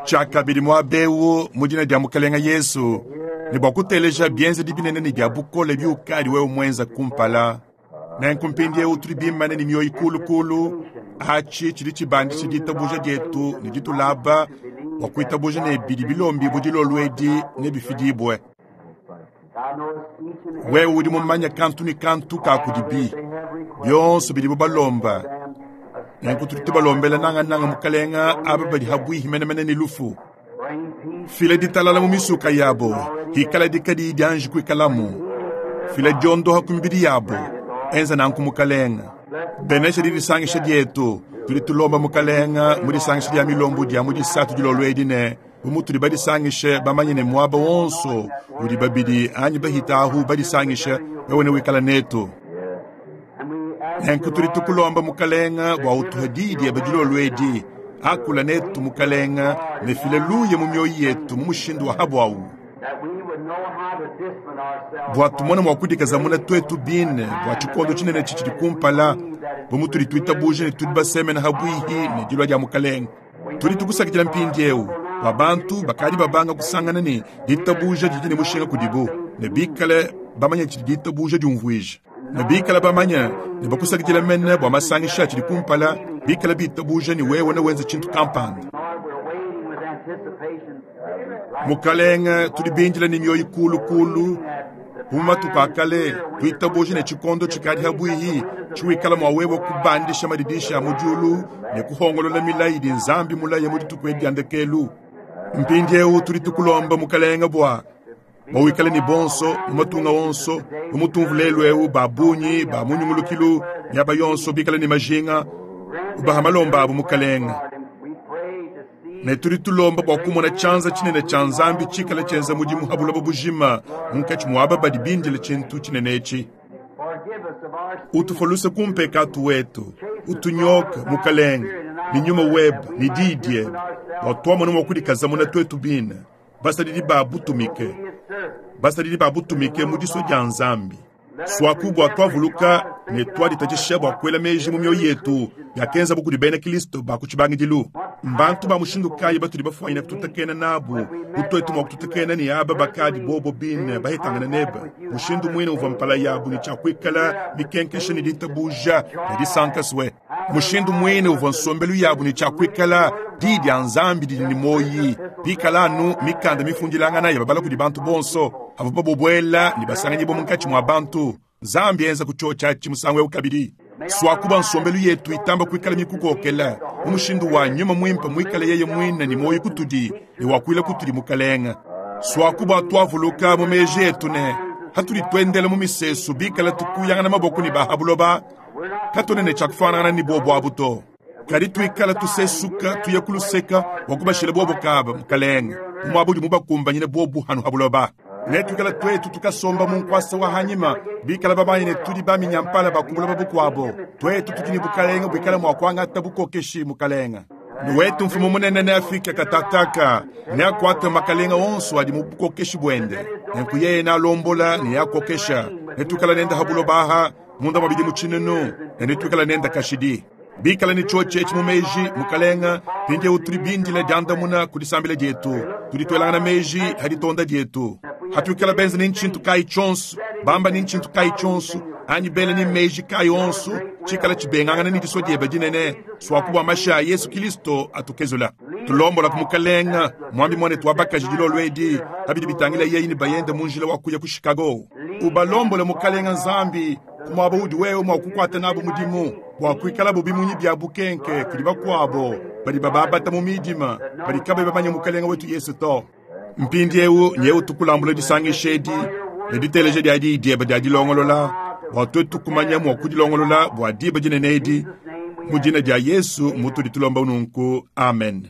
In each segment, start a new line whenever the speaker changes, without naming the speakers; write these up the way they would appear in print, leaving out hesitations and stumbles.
Tshiakabidi muaba eu mu dina dia Mukelenge Yesu, ne bua kuteleja bienzedi binene ne bia bukole biukadi wewe muenza kumpala. Nenku mpindieu tudi bimane ne mioyo kulukulu. Atshi tshidi tshibandisha ditabuja dietu ne ditulaba bua kuitabuja ne bidi bilombibue dilolo edi nebifidibue. Wewe udi mumanye kantu ne kantu ka kudibi bionso bidibo balomba. Nenku tudi tubalombela nangananga Mukelenge aba badi habuihi menemene ne lufu. Fila ditalala mu misuka yabo, hikaladi kadiyi dianji kuikalamu. Fila diondoha ku mibidi yabo, enza nanku Mukelenge. Benesha didisangisha dietu. Tudi tulomba Mukelenge mu disangisha dia milombu dia mu disatu dilolo edi ne, bu mutudi badisangishe bamanye ne muaba wonso udi babidi anyi bahita ahu badisangishe, wewe newikale netu. Nenku tudi tukulomba Mukelenge bua utuhe diyi diebe dilolo edi. Akula netu Mukelenge, ne fila luya mu mioyo yetu mu mushindu wa habuawu, bua tumone mua kudikazamuna tuetu bine bua tshikondo tshinene tshitshidi kumpala, bu mutudi tuitabuja ne tudi basemena habuihi ne dilua dia Mukelenge. Tudi tukusakidila mpindieu bua bantu bakadi babanga kusangana ne ditabuja didi ne mushinga kudibu, ne bikale bamanye tshidi ditabuja diumvuija, ne bikale bamanye ne bakusakidila mene bua masangisha atshidi kumpala, bikale bitabuja ne wewe newenze tshintu kampanda. Mukalenge, tudi bindile ne mioyo kulu kulu bu mu matuku a kale, tuitabuja ne tshikondo tshikadi habuihi tshiwikala mua wewe kubandisha madidishi a mu diulu ne kuhongolola milayi idi Nzambi mulaye mu dituku edi dia ndekelu. Mpindieu tudi tukulomba Mukalenge bua wikale ne bonso mu matunga onso, bu mutumvu lelu eu ba bungi ba mu nyungulukilu miaba yonso bikale ne majinga, ubaha malomba abu Mukalenge. Ne tudi tulomba bua kumona tshianza tshinene tshia Nzambi tshikale tshienza mudimu ha buloba bujima munkatshi mua aba badi bindile tshintu tshinene etshi. Utufue luse ku mpekatu wetu, utunyoke Mukalenge ne nyuma webe ne diyi diebe, bua tuamone mua kudikazamuna tuetu bine, basadidi ba butumike, basadidi ba butumike mu disua dia Nzambi. Suaku bua tuavuluka ne tuaditatshisha bua kuela meji mu mioyo yetu biakenzabu kudi bena Kristo ba ku tshibangidilu. Mbantu ba mushindu kayi batudi bafuanyine kututakena nabu bu tuetu mua kututakena ne aba bakadi bobo bine bahetangana nebe? Mushindu muine uvua mpala yabu ne tshia kuikala mikenkesha ne ditabuja ne disanka sue. Mushindu muine uvua nsombelu yabu ne tshia kuikala Diyi dia Nzambi didi ne muoyi, pikala anu mikanda mifundilangana ya babala kudi bantu bonso, avua babuela ne basanganyibua munkatshi mua bantu. Nzambi enza ku tshiotshi atshi musangu eu kabidi. Suakuba nsombelu yetu itamba kuikala mikukokela mu mushindu wa nyuma muimpe muikale yeye muine ne muoyo kutudi ne wakuila kutudi Mukalenge. Suakuba tuavuluka mu meji etu ne hatudi tuendela mu misesu bikala tukuyangana maboko ne ba ha buloba, katuena ne tshia kufuanangana ne bobo abu to. Kadi tuikala tusesuka tuya ku luseka bua kubashila bobo kaba, Mukalenge, mu muaba udi mubakumbanyine bobu hanu ha buloba. Netuikala tuetu tukasomba mu nkuasa wa hanyima, bikala bamanye ne tudi baminyampala ba ku buloba bukuabo. Tuetu tudi ne bukalenge buikala mua kuangata bukokeshi, Mukalenge. Ne wetu mfumu munene neafike katataka, neakuate makalenga onso adi mu bukokeshi buende. Nenku yeye nealombola ne neakokesha. Netuikala nende ha buloba aha munda mua bidimu tshinunu, ne netuikala nende kashidi. Bikala ne tshiotshi etshi mu meji, Mukalenge, mpindieu tudi bindile diandamuna ku disambila dietu. Tudi tuelangana meji ha ditonda dietu. Hatuikala benze ne ntshintu kayi tshionso, bamba ne ntshintu kayi tshionso, anyi bela ne meji kayi onso, tshikala tshibengangana ne disua diebe dinene, suaku bua mashi a Yesu Kilisto atukezula. Tulombola ku Mukalenge, muambi muanetu wa bakaji dilolo edi, pa bidi bitangila yeye ne bayende mu njila wa kuya ku Chicago. Ubalombole, Mukalenge Nzambi, ku muaba udi wewe mua kukuata nabu mudimu, bua kuikalabo bimunyi bia bukenke kudi bakuabo badi bababata mu midima, badi kabayi bamanye Mukalenge wetu Yesu to. Mpindieu nyewu tukulambula disangisha edi ne diteleja dia diyi diebe dia dilongolola, bua tuetu kumanya mua kudilongolola bua diba dinene edi. Mu dina dia Yesu mutudi tulomba nunku, amen.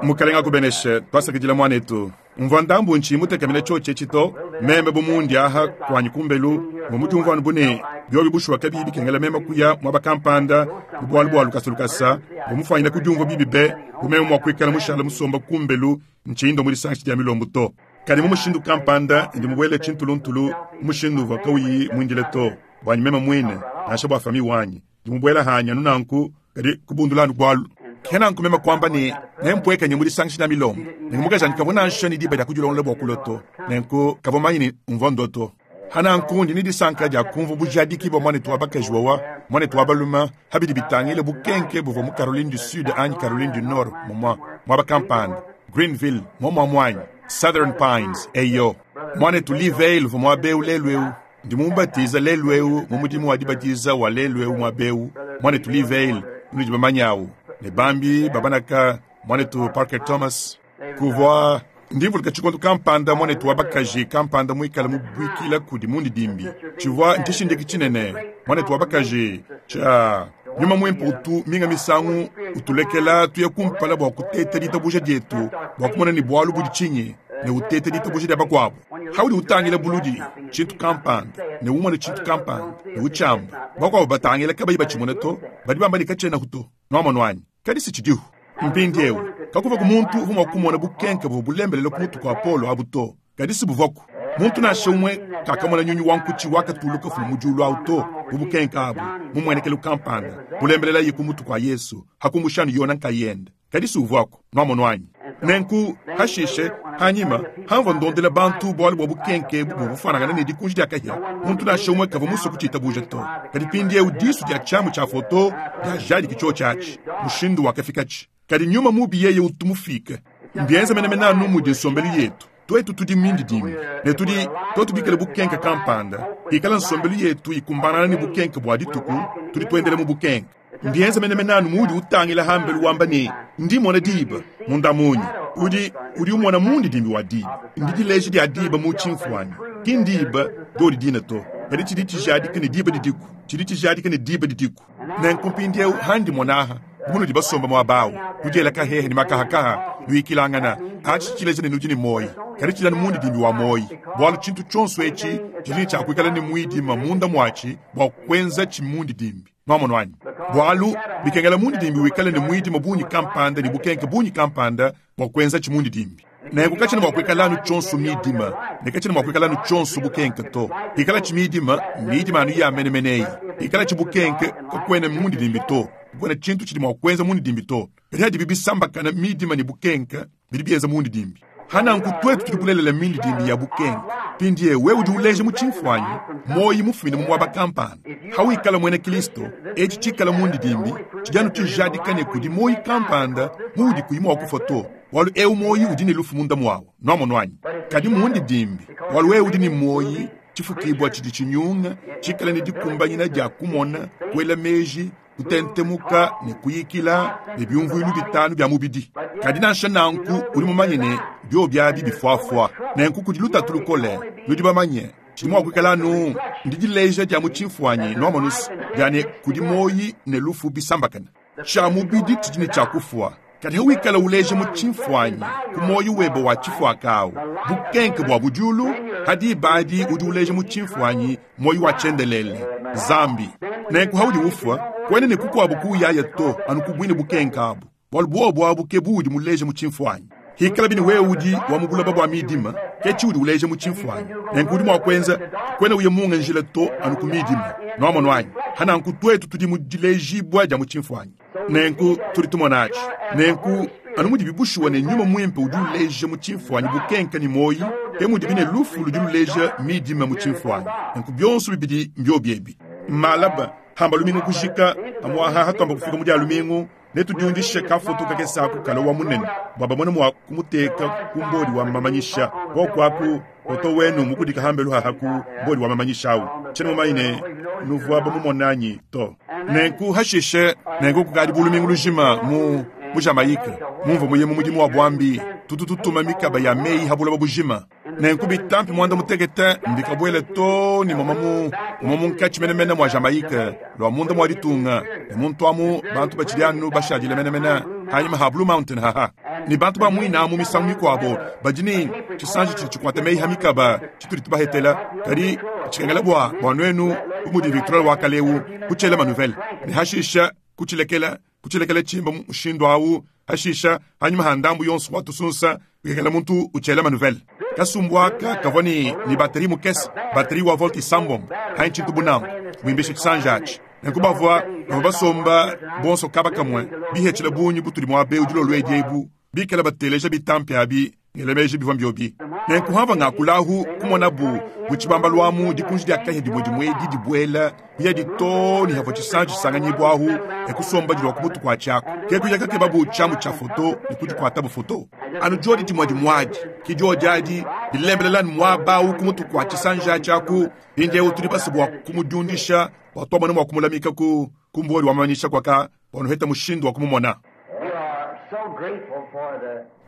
Mukalenge akubeneshe. Tuasakidila muanetu. Mvua ndambu ntshiyi mutekemene tshiotshi etshi to. Meme bu mundi aha kuanyi kumbelu, mvua mudiumvua anu bu ne, biobi bushuwa kabiyi bikengela meme kuya muaba kampanda mu bualu bua lukasa lukasa, mvua mufuanyine kudiumvua bibi be bu meme mua kuikala mushale musomba kumbelu ntshiyi ndua mu disangisha dia milombu to. Kadi mu mushindu kampanda ndi mubuele tshintuluntulu mu mushindu uvua kawuyi muindile to, buanyi meme muine nansha bua fami wanyi. Ndi mubuela hanyi anu nanku, kadi kubundula anu bualu. Ke nanku meme kuamba ne, Nempueke nye mu disangisha dia milombo. Nenku mukajanyi kavua nansha ne diba dia kudilongolola bua kulua to, nenku kavua mumanye ne, mvua ndua to. Pa nanku ndi ne disanka dia kumvua bujadiki bua muanetu wa bakaji wawa, muanetu wa balume, pa bidi bitangila bukenke buvua mu Caroline du Sud anyi Caroline du Nord, mumua, muaba kampanda, Greenville, muomuamua anyi? Southern Pines, eyo. Muanetu Lee Vayle uvua muaba eu lelu eu. Ndi mumubatiza lelu eu mu mudimu wa dibatiza wa lelu eu muaba eu, muanetu Lee Vayle, unudi bamanye awu, ne bambi ba banaka, muanetu Parker Thomas. Kuvua, ndi mvuluka tshikondo kampanda muanetu wa bakaji kampanda muikale mubuikila kudi mundidimbi. Tshivua ntshishindiki tshinene, muanetu wa bakaji, tshia Nyuma Muimpe utu minga misangu utulekela tuya kumpala bua kuteta ditabuja dietu bua kumona ne bualu budi tshinyi ne uteta ditabuja dia bakuabu. Haudi utangila buludi tshintu kampanda ne umona tshintu kampanda ne utshiamba, bakuabu batangila kabayi batshimona to, badi bamba ne katshienaku to. Nuamonu anyi? Kadi si tshidihu. Mpindieu, kakuvuaku muntu uvua mua kumona bukenke buvua bulembelela ku mutu kua Paulo abu to, kadi si buvuaku. Muntu nansha umue kakamona nyunyi wa nkutshi wakatuluka ufuma mu diulu au to, bu bukenke abu, mu mmuenekelu kampanda, bulembelelaye ku mutu kua Yezu, pa kumbusha anu Yona nkayende. Kadi si uvuaku. Nuamonu anyi? Nenku, hashishe, hanyima, hamvua ndondela bantu bualu bua bukenke ebu buvua bufuanangana ne dikunji dia kahia, muntu nansha umue kavua musue kutshitabuja to. Kadi mpindieu disu dia tshiamu tshia foto diajadiki tshiotshi atshi, mushindu wakafikatshi. Kadi nyuma mubi yeye utu mufike. Mbienza menemene anu mudi nsombelu yetu. Tuetu tudi mindidimbi, ne tudi, tuetu bikale bukenke kampanda, pikala nsombelu yetu ikumbanangana ne bukenke bua dituku, tudi tuendela mu bukenke. Mbienza menemene anu muudi utangila hambelu wamba ne, Ndi mmona diba. Munda munya, udi, udi umona mundidimbi wa diba. Ndidileja dia diba mu tshimfuanyi. Ki ndiba diodi dine to, kadi tshidi tshijadika ne diba didiku. Tshidi tshijadika ne diba didiku. Nenku mpindieu handi mmona aha, bu munudi basomba muaba au, nudiela kahehe ne makahakaha, nuyikilangana, atshi tshileja ne nudi ne muoyo. Kadi tshidi anu mundidimbi wa muoyo, bualu tshintu tshionso etshi tshidi ne tshia kuikala ne muidima munda muatshi bua kuenzatshi mundidimbi. Nwamonu anyi? Bualu, bikengela mundidimbi wikale ne muidima bungi kampanda ne bukenke bungi kampanda bua kuenzatshi mundidimbi. Nenku katshiena mua kuikala anu tshionso midima, ne katshiena mua kuikala anu tshionso bukenke to. Pikalatshi midima, mmidima anu ya menemene eyi. Pikalatshi bukenke, kakuena mundidimbi to, kakuena tshintu tshidi mua kuenza mundidimbi to. Kadi hadibi bisambakana midima ne bukenke, bidi bienza mundidimbi. Pa nanku tuetu tudi bulelela mindidimbi ya bukenke. Mpindieu wewe udi uleja mu tshimfuanyi muoyo mufumine mu muaba kampanda. Hawikala muena Kristo, etshi tshikala mundidimbi tshidi anu tshijadika ne kudi muoyo kampanda muudi kuyi mua kufua to, bualu eu muoyo udi ne lufu munda muawu. Nuamonu anyi? Kadi mundidimbi, bualu wewe udi ne muoyo, tshifukibua tshidi tshinyunga, tshikale ne dikumbanyina dia kumona, kuela meji, kutentemuka ne kuyikila ne biumvuilu bitanu bia mubidi. Kadi nansha nanku udi mumanye ne, biobi abi bifuafua. Nenku kudi lutatu lukole. Nudi bamanye, tshidi mua kuikala anu ndidileja dia mu tshimfuanyi, nuamonu's, dia ne kudi muoyi ne lufu bisambakane. Tshia mubidi tshidi ne tshia kufua. Kadi hawikala uleja mu tshimfuanyi ku muoyo webe wa tshifuaka awu bukenke bua bu diulu, ha diba adi udi uleja mu tshimfuanyi muoyo wa tshiendelele, Nzambi. Nenku haudi ufua, kuena ne kukuabu kuuyaya to, anu ku buine bukenke abu, bualu buobu abu ke buudi muleja mu tshimfuanyi. Hikalabi ne wewe udi wa mu buloba bua midima, ke tshiudi uleja mu tshimfuanyi. Nenku udi mua kuenza, kuena uya munga njila to, anu ku midima. Nuamonu anyi? Ha nanku tuetu tudi mu dilejibua dia mu tshimfuanyi. Nenku tudi tumona atshi. Nenku anu mudibi bushuwa ne Nyuma Muimpe udi uleja mu tshimfuanyi bukenke ne muoyi, ke mudibi ne lufu ludi luleja midima mu tshimfuanyi. Nenku bionso bibidi mbiobi ebi. Malaba, hamba lumingu kujika, pamuaha hatuamba kufika mu dia lumingu, netudiundishe kafoto kakese aku kala wa munene bua bamone mua kumuteka ku mbodi wa mamanyisha. Koku aku foto wenu mukudika hambelu haha ku mbodi wa mamanyisha au. Tshiena mumanye ne nuvua bamumone anyi to. Nenku hashishe, nenku kukadi bu lumingu lujima mu mu Jamaïque mumvua muye mu mudimu wa buambi, tutu tutuma mikaba ya meyi ha buloba bujima. Nenku bitampi muanda mutekete mbikabuele too ne moma mu moma munkatshi menemene mua Jamaïque, lua munda mua ditunga, ne muntu amu bantu batshidi anu bashadile menemene hanyima ha Blue Mountain haha. Ne bantu ba muine amu misangu mikuabo badi ne tshisanji tshidi tshikuata meyi ha mikaba tshitudi tubahetela, kadi tshikengela bua bua nuenu bu mudi Victrola wa kale eu kutshiela manuvele ne hashisha kutshilekela kutshilekela tshimba mushindu au hashisha hanyima ha ndambu yonso wa tusunsa bikengela muntu utshiela manuvele. Kasumbu aka kavua ne ne bateri mukese, bateri wa volt isambombo anyi tshintu bu nanku, buimbisha tshisanji atshi. Nenku bavwa, bavwa basomba bonso kaba kamwe, bihetshila bungi butudi mwaba ewu dilolo edi ebu, bikale bateleja bitampi abi, ngela meji bivwa mbiobi. Nenku hamvwa ngakula ahu, kumonabu mu tshibambalu amu dikunji dia kahia dimue dimue edi dibuela, kuyadi too ne havua tshisanji tshisanganyibua ahu, e kusomba dilua ku mutu kuatshi aku. Ke kuya kakebabu tshiamu tshia foto ne kudikuatabu foto. Anu diodi dimue dimue adi, ke diodi adi dilembelela anu muaba awu ku mutu kua tshisanji atshi aku. Mpindieu tudi basue bua kumudiundisha bua tuamone mua kumulamika ku, ku mbuoli wa mamanyisha kuaka bua nuheta mushindu wa kumumona.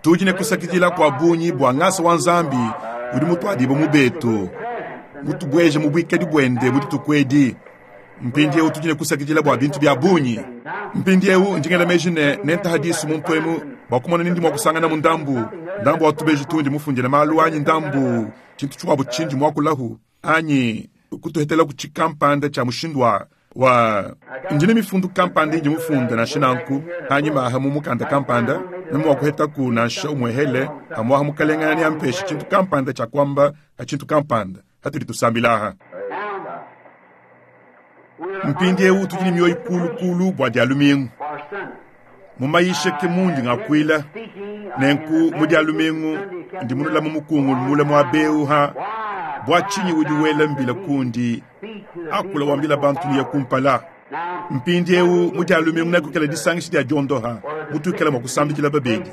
Tudi ne kusakidila kua bungi bua ngasa wa Nzambi udi mutuadibue mu betu, mutubueje mu buikadi buende mu dituku edi. Mpindieu tudi ne kusakidila bua bintu bia bungi. Mpindieu ndi ngela meji ne nentaha disu muntu emu bua kumona ni ndi mua kusanganamu ndambu, ndambu wa tubeji tundi mufundile malu anyi ndambu tshintu tshikuabu tshindi muakulahu anyi kutuhetelaku tshikampanda tshia mushindu wa wa ndi ne mifundu kampanda indi mufunda nansha nanku anyima aha mu mukanda kampanda meme mua kuhetaku nansha umuehele amuaha mukalenga neampeshe tshintu kampanda tshia kuamba ha tshintu kampanda hatudi tusambila aha. Mpindieu tudi ne mioyo kulu kulu bua dia lumingu. Mu mayisha ke mundi ngakuila, nenku mu dia lumingu ndi munula mu mukungulu mule muaba eu ha bua tshinyi udi wela mbila kundi akula wambila bantu nuya kumpala. Mpindieu mu dia lumingu nekuikala disangisha dia diondoha mutuikala mua kusambikila babedi.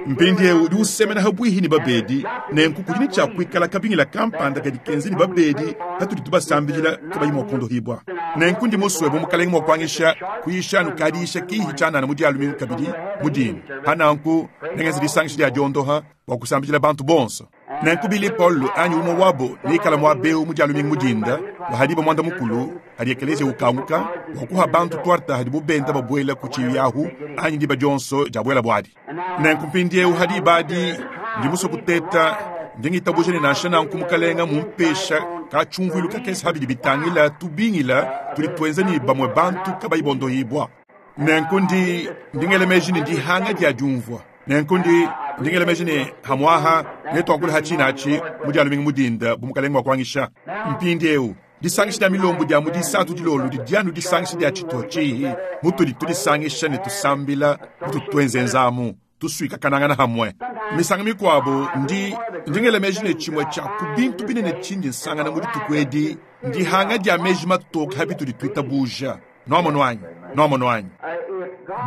Mpindieu udi usemena habuihi ne babedi, nenku kudi ne tshia kuikala kabingila kampanda kadi kenze ne babedi patudi tubasambidila kabayi mua kuondohibua. Nenku ndi musue bu Mukalenge mua kuangisha kuyisha anu kadiyisha kihi tshianana mu dia lumingu kabidi mu dinda. Pa nanku nengenze disangisha dia diondoha bua kusambidila bantu bonso. Nenku Billy Paul anyi umue wabo neikala muaba eu mu dia lumingu mu dinda bua ha diba muanda mukulu hadi ekeleziya ukanguka bua kuha bantu tuarta hadibo benda babuela ku tshiibi ahu anyi diba dionso diabuelabo adi. Nenku mpindieu ha diba adi ndi musue kuteta, ndi ngitabuja ne nansha nanku Mukalenga mumpesha ka tshiumvuilu kakese ha bidi bitangila tubingila tudi tuenza ne bamue bantu kabayi bondohibua. Nenku ndi, ndi ngela meji ne ndihanga dia diumvua. Nenku ndi, ndi ngela meji ne hamuaha netuakule ha tshina atshi mu dia lumingu mu dinda bu Mukalenga mua kuangisha. Mpindieu, disangisha dia milombu dia mu disatu dilolo didi anu disangisha dia tshituha tshihi mutudi tudisangisha ne tusambila mututu tuenzenzamu, tusuikakanangana hamue. Misangu mikuabo ndi, ndi ngela meji ne tshimue tshia ku bintu binene tshindi nsangana mu dituku edi ndihanga dia meji matoke ha bitudi tuitabuja. Nuamonu anyi? Nuamonu anyi?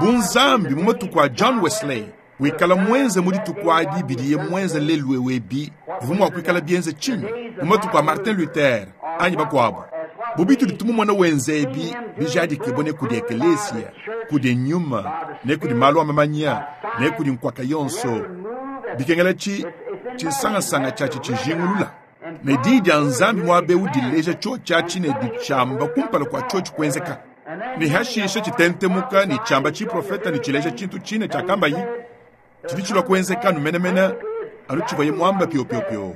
Bu Nzambi mu matuku a John Wesley wikala muenze mu dituku adi bidiye muenze lelu eu ebi, bivua mua kuikala bienze tshinyi mu matuku a Martin Luther anyi bakuabu? Bu bitudi tumumona wenza ebi bijadikibue ne kudi ekeleziya, kudi nyuma, ne kudi malu a mamanya, ne kudi nkuaka yonso, bikengela tshi, tshinsangansanga tshiatshi tshijingulula. Ne Diyi dia Nzambi muaba eu dileja tshiotshi atshi ne ditshiamba kumpala kua tshiotshi kuenzeka, ne hashishe tshitentemuka ne tshiamba tshiprofeta ne tshileja tshintu tshine tshiakambayi tshidi tshilua kuenzeka anu menemene anu tshivuaye muamba piopiopio.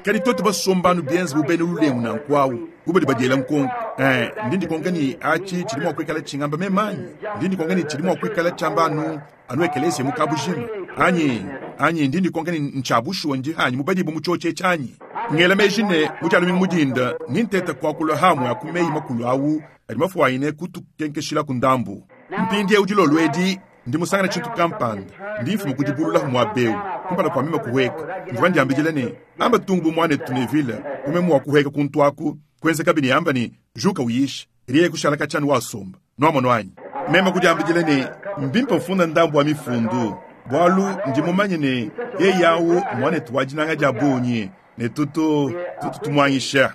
Kadi tuetu basomba anu bienze bu bena lulengu nanku au, bu badi badiela nkonko, eh, ndi ndikonka ne atshi tshidi mua kuikala tshingamba meme anyi? Ndi ndikonka ne tshidi mua kuikala tshiamba anu anu ekeleziya mu kabujima anyi? Anyi ndi ndikonka ne ntshia bushuwa ndi hanyi mubadibue mu tshiotshi etshi anyi? Ngela meji ne mu dia lumingu mu dinda ndi nteta kuakula hamue a ku meyi makulu au adi mafuanyine kutukenkeshilaku ndambu. Mpindieu dilolo edi ndi musangane tshintu kampanda, ndi mfuma ku dibululaku muaba eu kumpala kua meme kuhueka. Mvua ndiambidila ne, amba tungu bu muanetu Neville, bu meme mua kuhueka kuntu aku, kuenzekabi ne amba ne, juka uyishe. Yeye kushala katshia anu wasomba. Nuamonu anyi? Meme kudiambidila ne, mbimpe mfunda ndambu wa mifundu, bualu ndi mumanye ne, yeye au mmuanetu wa dinanga dia bungi, ne tutu, tutu tumuanyisha.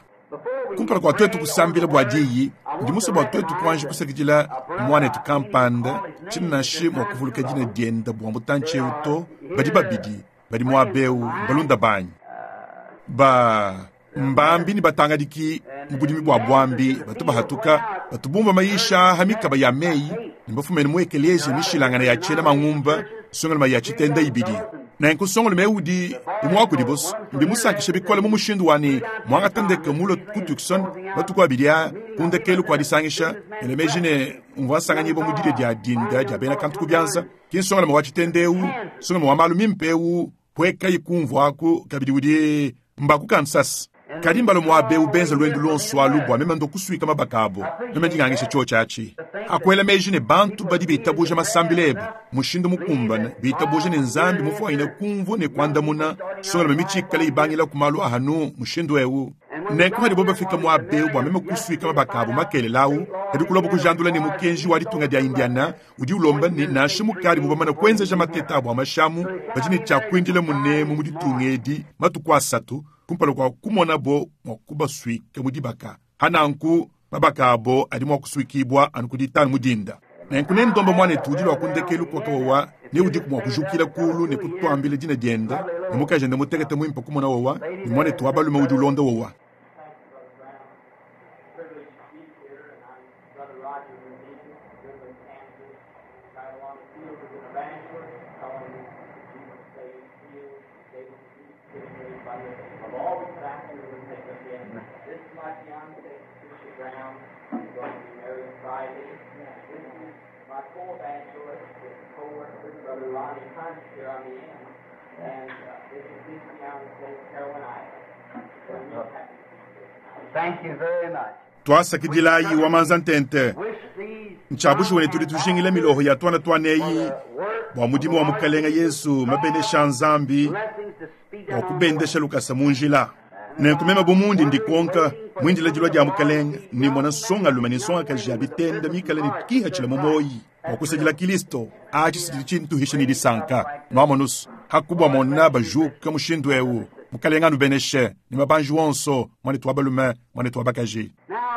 Kumpala kua tuetu kusambila bua diyi, ndi musue bua tuetu kuanji kusakidila muanetu kampanda, tshiena nansha mua kuvuluka dina diende bua mutantshi eu to, badi babidi badi muaba eu mbalunda banyi. Ba mbambi ne batangadiki mu budimi bua buambi batu bahatuka, batu bumvua mayisha ha mikaba ya meyi ne bafumene mu ekeleziya mishilangane ya tshiena mangumba nsongalume ya tshitenda ibidi. Nenku nsongalume eu udi umue wa kudibo mbimusankishe bikole mu mushindu wa ne muangata ndeke mulue ku Tucson matuku abidi aa ku ndekelu kua disangisha, ngela meji ne mvua nsanganyibua mu didia dia dinda dia bena kantu ku bianza. Ki nsongalume wa tshitenda eu, nsongalume wa malu mimpe eu, puekayi kumvuaku kabidi udi mba ku Kansas. Kadi mbala muaba eu benza luendu luonso alu bua meme ndo kusuika mabaka abo. Meme ndi ngangisha tshiotshi atshi. Akuela meji ne bantu badi bitabuja masambila ebe mushindu mukumbane, bitabuja ne Nzambi mufuanyine kumvua ne kuandamuna songalame mitshikale ibangila ku malu ahanu mushindu eu. Nenku hadibo bafika muaba eu bua meme kusuika mabaka abo makelela au, kadi kuloba kujandula ne mukenji wa ditunga dia Indiana udi ulomba ne nansha mukadi mubamana kuenzeja mateta abo a mashamu, badi ne tshia kuindila munemu mu ditunga edi matuku asatu kumpala kua kumonabo mua kubasuika mu dibaka. Hananku mabaka abo adi mua kusuikibua anu ku ditanu mu dinda. Nenku nendomba muanetu udi lua ku ndekelu kua kawawa ne udiku mua kujukila kulu ne kutuambila dina diende ne mukajende mutekete muimpe kumona wawa ne muanetu wa balume udi ulonda wawa. Tuasakidilayi wa manza ntente. Ntshia bushuwa ne tudi tujingila miloho ya tuana tuana eyi bua mudimu wa Mukalenga Yesu mabenesha a Nzambi bua kubendesha lukasa mu njila. Nenku meme bu mundi ndikonka muindila dilua dia Mukalenga ne mona nsongalume ne nsongakaji ya bitenda mikale ne kihatshila mu moyi bua kusadila Kilisto, atshi tshidi tshintuhisha ne disanka. Nuamonusu hakubua mona bajuka mushindu eu. Mukalenga anubeneshe ne mabanji wonso, muanetu wa balume, muanetu wa bakaji.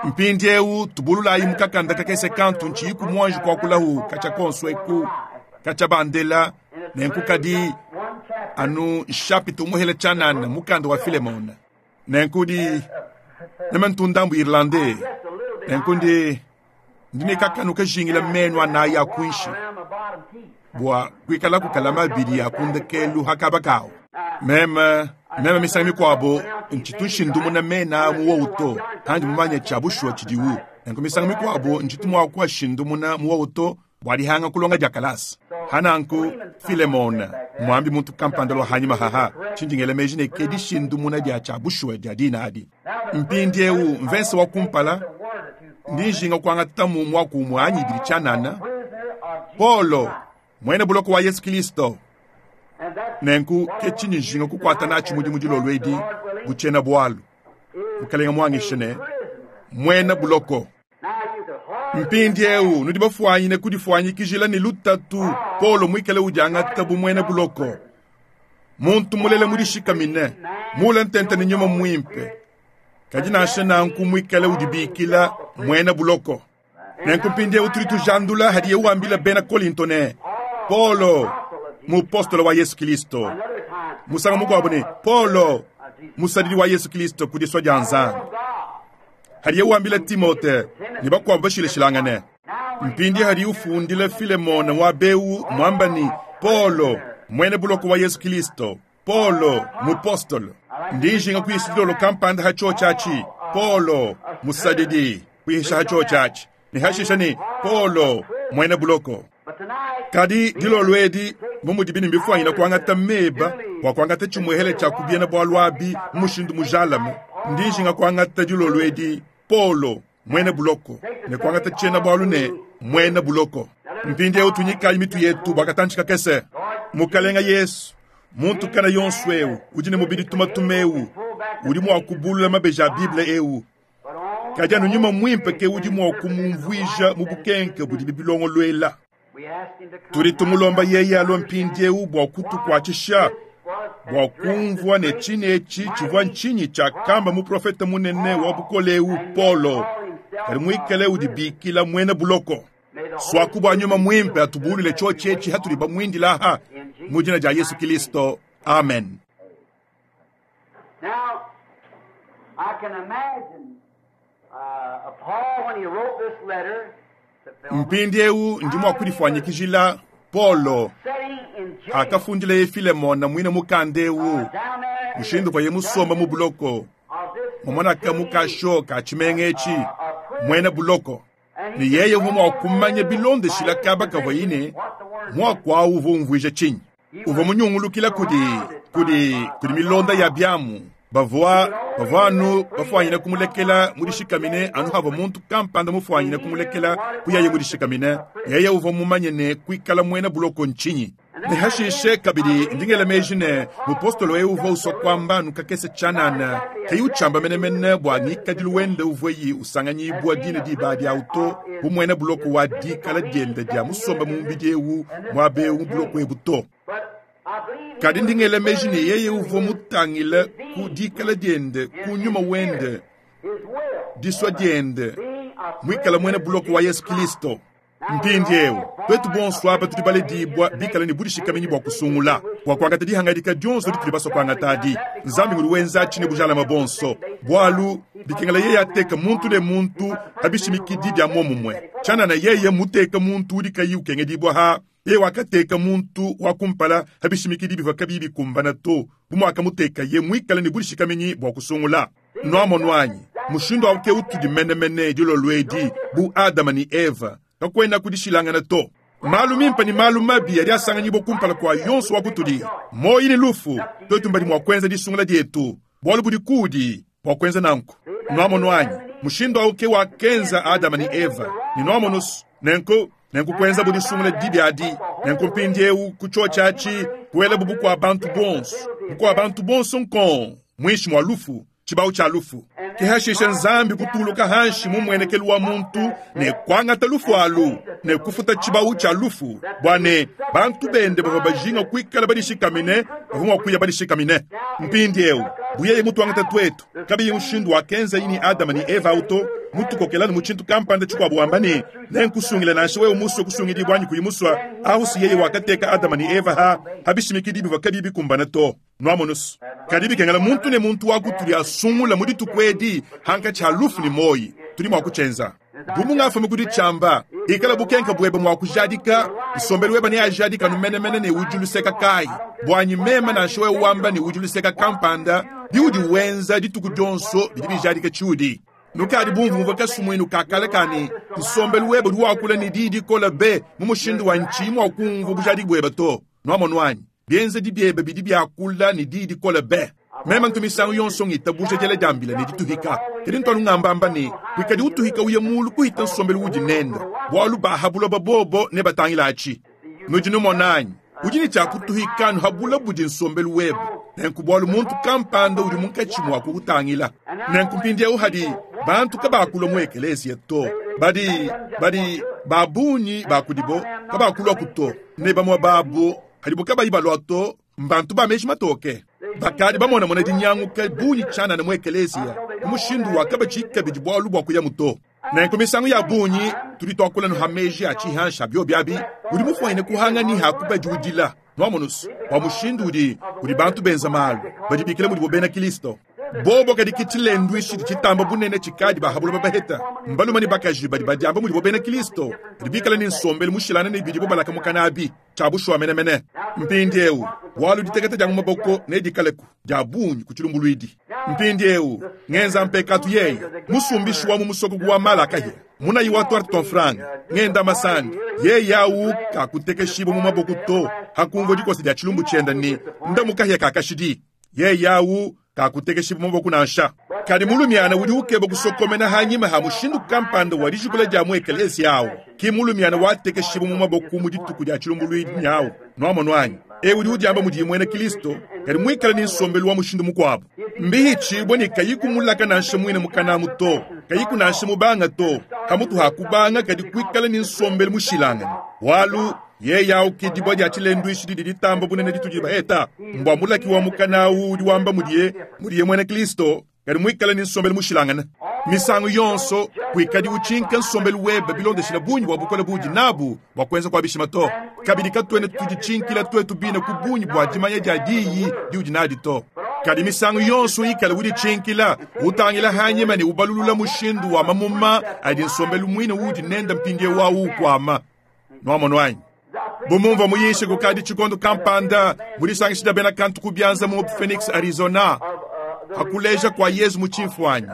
Mpindieu tubululayi mu kakanda kakese kantu ntshiyiku muanji kuakulahu katshia konso eku katshia bandela nenku kadi anu nshapita umuhela tshianana mukanda wa Filemona. Nenku di meme ntundambu irlandais, nenku ndi ndi ne kakanu kajingila menu anayi a kuinshi bua kuikalaku kalama abidi a ku ndekelu hakaba kawu. Meme meme misangu mikuabo ntshitu nshindumuna mena mu wowu to, handi mumanye tshia bushuwa tshidiwu. Nenku misangu mikuabo ntshitu mua kuashindumuna mu wowu to bua dihanga kulonga dia kalasa. Hananku Filemona muambi muntu kampanda lua hanyima haha tshindi ngela meji ne ke dishindumuna dia tshia bushuwa dia dina adi. Mpindieu mvese wa kumpala ndi njinga kuangatamu muaku umue anyi ibidi tshianana. Paulo muena buloko wa Yesu Kilisto. Nenku ke tshinyi njinga kukuata natshi mudimu dilolo edi bu tshiena bualu. Mukalenga muangishe ne muena buloko. Mpindieu nudi bafuanyine kudifuanyikijila ne lutatu Paulo muikale udiangata bu muena buloko. Muntu mulele mudishikamine, mule ntente ne nyuma muimpe, kadi nansha nanku muikale udibikila muena buloko. Nenku mpindieu tudi tujandula hadiye wambila bena Kolinto ne Paulo mupostolo wa Yesu Kilisto, musangu mukuabu ne Paulo musadidi wa Yesu Kilisto ku disua dia Nzambi, hadiye wambila Timote ne bakuabu bashilashilangane. Mpindi hadi ufundila Filemona wa beu muamba ni Paulo muena buloko wa Yesu Kilisto, Paulo mupostolo. Ndi njinga kuhisa dilolo kampanda ha tshiotshi atshi, Paulo musadidi kuhisha ha tshiotshi atshi, ne hashisha ni Paulo muena buloko. Kadi dilolo edi bu mudibi ne mbifuanyina kuangata meba bua kuangata tshimuehele tshia kubiena bualu abi mu mushindu mujalame, ndi njinga kuangata dilolo edi Paulo muena buloko ne kuangata tshiena bualu ne muena buloko. Mpindieu tunyikayi mitu yetu bua katantshi kakese. Mukalenga Yesu, muntu kana yonso eu udi ne mubidi tumatuma eu udi mua kubulula mabeji a Bible eu, kadi anu nyuma muimpe ke udi mua kumumvuija mu bukenke budi bilongoluela. Tudi tumulomba yeye alue mpindieu bua kutukuatshisha bua kumvua ne tshine etshi tshivua ntshinyi tshiakamba muprofete munene wa bukole eu Paulo, kadi muikale udibikila muena buloko. Suaku bua nyuma muimpe atubulule tshiotshi etshi hatudi bamuindila aha mu dina dia Yesu Kilisto, amen.
Now, I can imagine Paul when he wrote this letter to Philemon,
Mpindieu ndi mua kudifuanyikijila Paulo
sitting in jail
akafundileye Filemona muine mukanda eu
down there in
mushindu
the
vaye musomba mu buloko
of this
mumonaka mu kasho ka tshimenga etshi muena buloko ne yeye uvua mua kumanya bilondeshila kaba kavua yine muaku awu uvua umvuija tshinyi. Uvua munyungulukila kudi kudi kudi milonda ya biamu bavua Bavua anu bafwanyine kumulekela mudishikamine anu havua muntu kampanda mufwanyine kumulekela kuyaye mudishikamine. Yeye uvua mumanye ne kuikala muena buloko ntshinyi. Ne hashishe kabidi ndi ngela meji ne mupostolo eu uvua usua kuamba anu kakese tshianana, kayi utshiamba menemene bua ngikadilu wende uvuaye usanganyibua dine diba adi au to, bu muena buloko wa dikala diende dia musombe mu mubidi eu muaba eu mu buloko ebu to. Kadi ndi ngela meji ne yeye uvua mutangile ku dikala diende, ku nyuma wende, disua diende, muikale muena buloko wa Yesu Kristo. Mpindieu, tuetu bonso aba tudi baledibua bikale ne budishikaminyi bua kusungula, bua kuangata dihangadika dionso ditudi basue kuangata adi. Nzambi ngudi wenza atshi ne bujalame buonso, bualu bikengela yeye ateke muntu ne muntu pa bishimikidi bia muomumue. Tshianana yeye muteke muntu udi kayi ukengedibua ha yeye wakateka muntu wa kumpala pa bishimikidi bivua kabiyi bikumbana to, bu muakamutekaye muikale ne budishikaminyi bua kusungula. Nuamonu anyi? Mushindu au ke utudi menemene dilolo edi, bu Adama ne Eva. Kakuena kudishilangana to. Malu mimpe ne malu mabi adi asanganyibua kumpala kua yonso wa kutudi, muoyo ne lufu. Tuetu mbadi mua kuenza disungula dietu, bualu budi kuudi bua kuenza nanku. Nuamonu anyi? Mushindu au ke wakenza Adama ne Eva, ne nuamonu nenku nenku kuenzabu disungula dibi adi. Nenku mpindieu ku tshiotshi atshi kuelabu bukua bantu bonso, bukua bantu bonso nkong muinshi mua lufu, tshibawu tshia lufu. Ke hashishe Nzambi kutuluka hanshi mu mmuenekelu wa muntu ne kuangata lufu alu ne kufuta tshibawu tshia lufu, bua ne bantu bende bavua bajinga kuikala badishikamine bavua mua kuya badishikamine. Mpindieu bu yeye mutuangata tuetu, kabiyi mushindu wakenzaye ne Adama ne Eva au to, mutukokela mu tshintu kampanda tshikuabu wamba ne, nenkusungile nansha wewe musue kusungidibua anyi kuyi musue, ahu si yeye wakateka Adama ne Eva ha ha bishimikidi bivua kabiyi bikumbana to. Nuamonusu. Kadi bikengela muntu ne muntu wa kutudi asungula mu dituku edi hankatshi ha lufu ne muoyi. Tudi mua kutshienza. Bu mungafume ku ditshiamba, ikala bukenka buebe mua kujadika, nsombelu webe neajadike anu menemene ne udi luseka kayi. Buanyi meme nansha wewe wamba ne udi luseka kampanda, biudi wenza dituku dionso bidi bijadika tshiudi. Nukadi bumvumvua kasumuinu ka kale ka ne, nsombelu webe udi wakula ne diyi dikole be mu mushindu wa ntshiyi mua kumvua bujadiki buebe to. Nuamonu anyi? Bienzedi biebe bidi biakula ne diyi dikole be. Meme ntu misangu yonso ngitabuja diela dia mbila ne dituhika. Kadi ntu anu ngambamba ne, kuikadi utuhika uye mulu kuhita nsombelu udi nende, bualu ba ha buloba bobo nebatangile atshi. Nudi numona anyi? Udi ne tshia kutuhika anu ha bula budi nsombelu webe, nenku bualu muntu kampanda udi munkatshi mua kukutangila. Nenku mpindieu hadi bantu kabakulua mu ekeleziya to, badi badi ba bungi ba kudibo kabakuluaku to, ne bamue babo hadibo kabayi balua to, mbantu ba meji matoke. Bakadi bamonamona dinyanguka bungi tshianana mu ekeleziya ku mushindu wa kabatshiyi kabidi bualu bua kuyamu to. Nenku misangu ya bungi tudi tuakula ha meji a tshihansha biobi abi, udi mufwanyine kuhanga ni ha kubadiudila. Nuamonusu bua mushindu udi udi bantu benza malu, badibikila mudibo bena Kristo. Bobo kadi ke tshilenduishi tshidi tshitamba bunene tshikadi ba ha buloba baheta. Mbalume ne bakaji badi badiamba mudibo bena Kristo, badi bikale ne nsombelu mushilangane ne bidibo balaka mukana abi, tshia bushuwa menemene. Mpindieu, bualu diteketa dia mu maboko nedikaleku dia bungi ku tshilumbuluidi. Mpindieu, ngenza mpekatu yeye, musumbishi wa mu musoko wa mala akahia, munayi wa tuarte tua mfranga, ngenda masandi, yeye au kakutekeshibua mu maboko to, hakumvua dikosa dia tshilumbu tshiende ne nda mu kahia ka kashidi. Yeye au kakutekeshibua mu maboko nansha. Kadi mulumiana udi ukeba kusokomena hanyima ha mushindu kampanda wa dijikula dia mu ekeleziya au, ki mulumiana watekeshibua mu maboko mu dituku dia tshilumbuluidi nyawu. Nuamonu anyi? Eu udi udiamba mudiye muena Kristo, kadi muikale ne nsombelu wa mushindu mukuabu. Mbihitshibue ne kayi kumulaka nansha muine mukanamu to, kayi kunansha mubanga to, kamutu ha kubanga kadi kuikala ne nsombelu mushilangane. Bualu yeye au ke dibua dia tshilenduishi didi ditamba bunene ditudi baheta. Mbua mulaki wa mukana au udi wamba mudiye mudiye muena Kristo, kadi muikale ne nsombelu mushilangane. Misangu yonso kuikadi utshinka nsombelu webe bilondeshila bungi bua bukole budi nabu bua kuenza kua bishima to. Kabidi katuena tuditshinkila tuetu bine ku bungi bua dimanya dia diyi diudi nadi to. Kadi misangu yonso ikale uditshinkila, utangila hanyima ne ubalulula mushindu wa mamuma adi nsombelu muine udi nende mpindieu au ukuama. Nuamonu anyi? Bu mumvua muyishe kukadi tshikondo kampanda mu disangisha dia bena kantu ku bianza mu Phoenix, Arizona, hakuleja kua Yezu mu tshimfuanyi,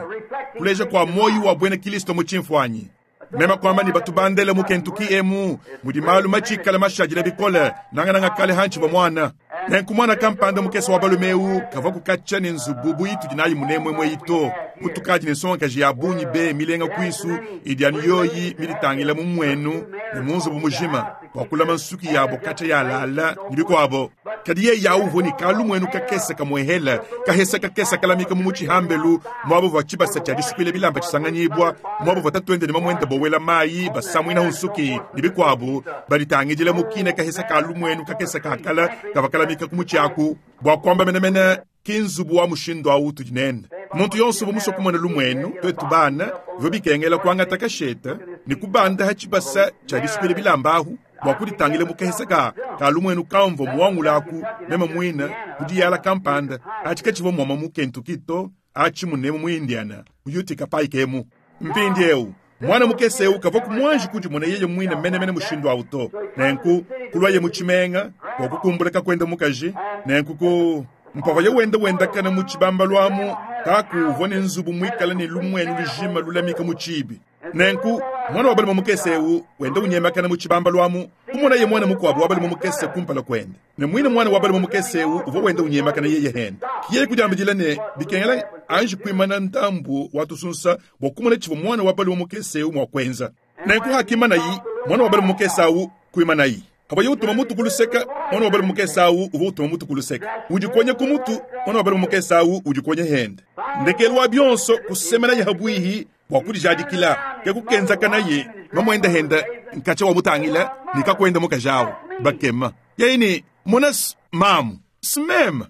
kuleja kua muoyo wa buena Kristo mu tshimfuanyi. Mema kuamba ne batubandele mu Kentucky emu mudi malu matshikale mashadile bikole nangananga kale hantshivua muana. Nenku mwana kampanda mukese wa balume eu kavua kukatshia ne nzubu bu itudi nayi munemwemwe eyi to. Mutukadi ne nsongakaji ya bungi be milenga kuisu idi anu yoyi miditangila mu mmuenu ne mu nzubu mujima bua kulama nsuki yabo katshia yalala ne bikuabo. Kadi yeye awu uvua ne kalumuenu kakese kamuehela, kahesa kakese kalamika mu mutshi hambelu, muaba uvua tshibasa tshia disukuila bilamba tshisanganyibua, muaba uvua tatuende ne mamuende bowela mayi, basamuinahu nsuki ne bikuabu, baditangidila mu kine kahesa ka lumuenu kakese ka kala kavua kalamika ku mutshi aku. Bua kuamba menemene, ki nzubu wa mushindu au utudi nende. Muntu yonso uvua musue kumona lumuenu, tuetu bana, bivua bikengela kuangata kashete ne kubanda ha tshibasa tshia disukuila bilamba ahu bua kuditangila mu kahesa ka ka lumuenu kamvua muangula aku meme muine ku diyala kampanda. Atshi katshivua muoma mu Kentucky to, atshi munemu mu Indiana, mu Utica Pike emu. Mpindieu, muana mukese eu kavua muanji kudimona yeye muine menemene mushindu au to. Nenku kuluaye mu tshimenga bua kukumbula kakuende mukaji. Nenku ku mpavuaye wenda wendakana mu tshibambalu amu, kaku uvua ne nzubu muikale ne lumuenu lujima lulamika mu tshiibi. Nenku muana wa balume mukese eu wenda unyemakana mu tshibambalu amu, kumonaye muana mukuabu wa balume mukese kumpala kuende. Ne muine muana wa balume mukese eu uvua wenda unyemakana yeye hende. Ke yeye kudiambidila ne, bikengela anji kuimana ndambu wa tusunsa bua kumona tshivua muana wa balume mukese eu mua kuenza. Nenku hakimanayi, muana wa balume mukese au kuimanayi. Pavuaye utuma mutu ku luseka, muana wa balume mukese au uvua utuma mutu ku luseka. Udikonya ku mutu, muana wa balume mukese au udikonya hende. Ndekelu wa bionso kusemenaye habuihi bua kudijadikila, ke kukenzakanaye mamuende hende nkatshia wamutangila ne kakuende mukaji au. Bakema yeye ne, Mona mamu, smeme.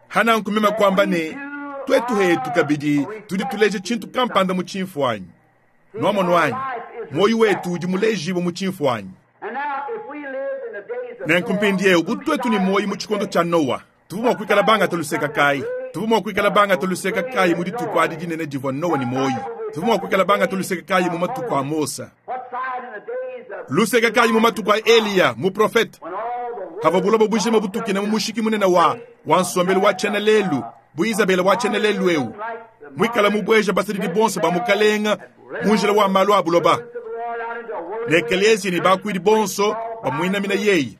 Hananku meme kuamba ne, tuetu hetu kabidi tudi tuleja tshintu kampanda mu tshimfuanyi. Nuamonu anyi? Muoyo wetu udi mulejibue mu tshimfuanyi. Nenku mpindieu bu tuetu ne muoyo mu tshikondo tshia Noa, tuvua mua kuikala bangata luseka kayi? Tuvua mua kuikala bangata luseka kayi mu dituku adi dinene divua Noa ne muoyo? Tuvua mua kuikala bangata luseka kayi mu matuku a Mose? Luseka kayi mu matuku a Eliya muprofete? Havua buloba bujima butukina mu mushiki munene wa wa nsombelu wa tshiena lelu bu Izabela wa tshiena lelu eu muikala mubueja basadidi bonso ba mukalenga mu njila wa malu a buloba ne ekeleziya ne bakuidi bonso bamuinamina yeye.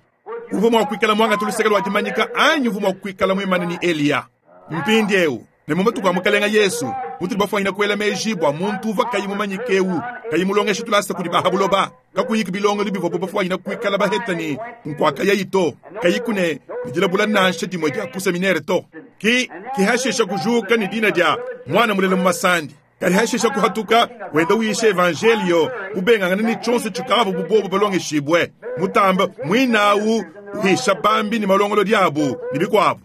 Uvua mua kuikala muangate luseke lua dimanyika anyi uvua mua kuikala muimane ne Eliya? Mpindieu, ne mu matuku a Mukalenge Yesu, mutudi bafuanyine kuela meji bua muntu uvua kayi mumanyike eu, kayi mulongeshe tulasa kudi ba ha buloba, kakuyiku bilongelu bivuabu bafuanyine kuikala baheta ne nkuakayayi to, kayiku ne dilabula nansha dimue dia ku seminere to. Ki kihashisha kujuka ne dina dia muana mulela mu masandi. Kadi hashisha kuhatuka, wenda uyisha evanjelio, ubengangana ne tshionso tshikavua bu bobu balongeshibue, mutamba muinawu uhisha bambi ne malongolodi abu ne bikuabu.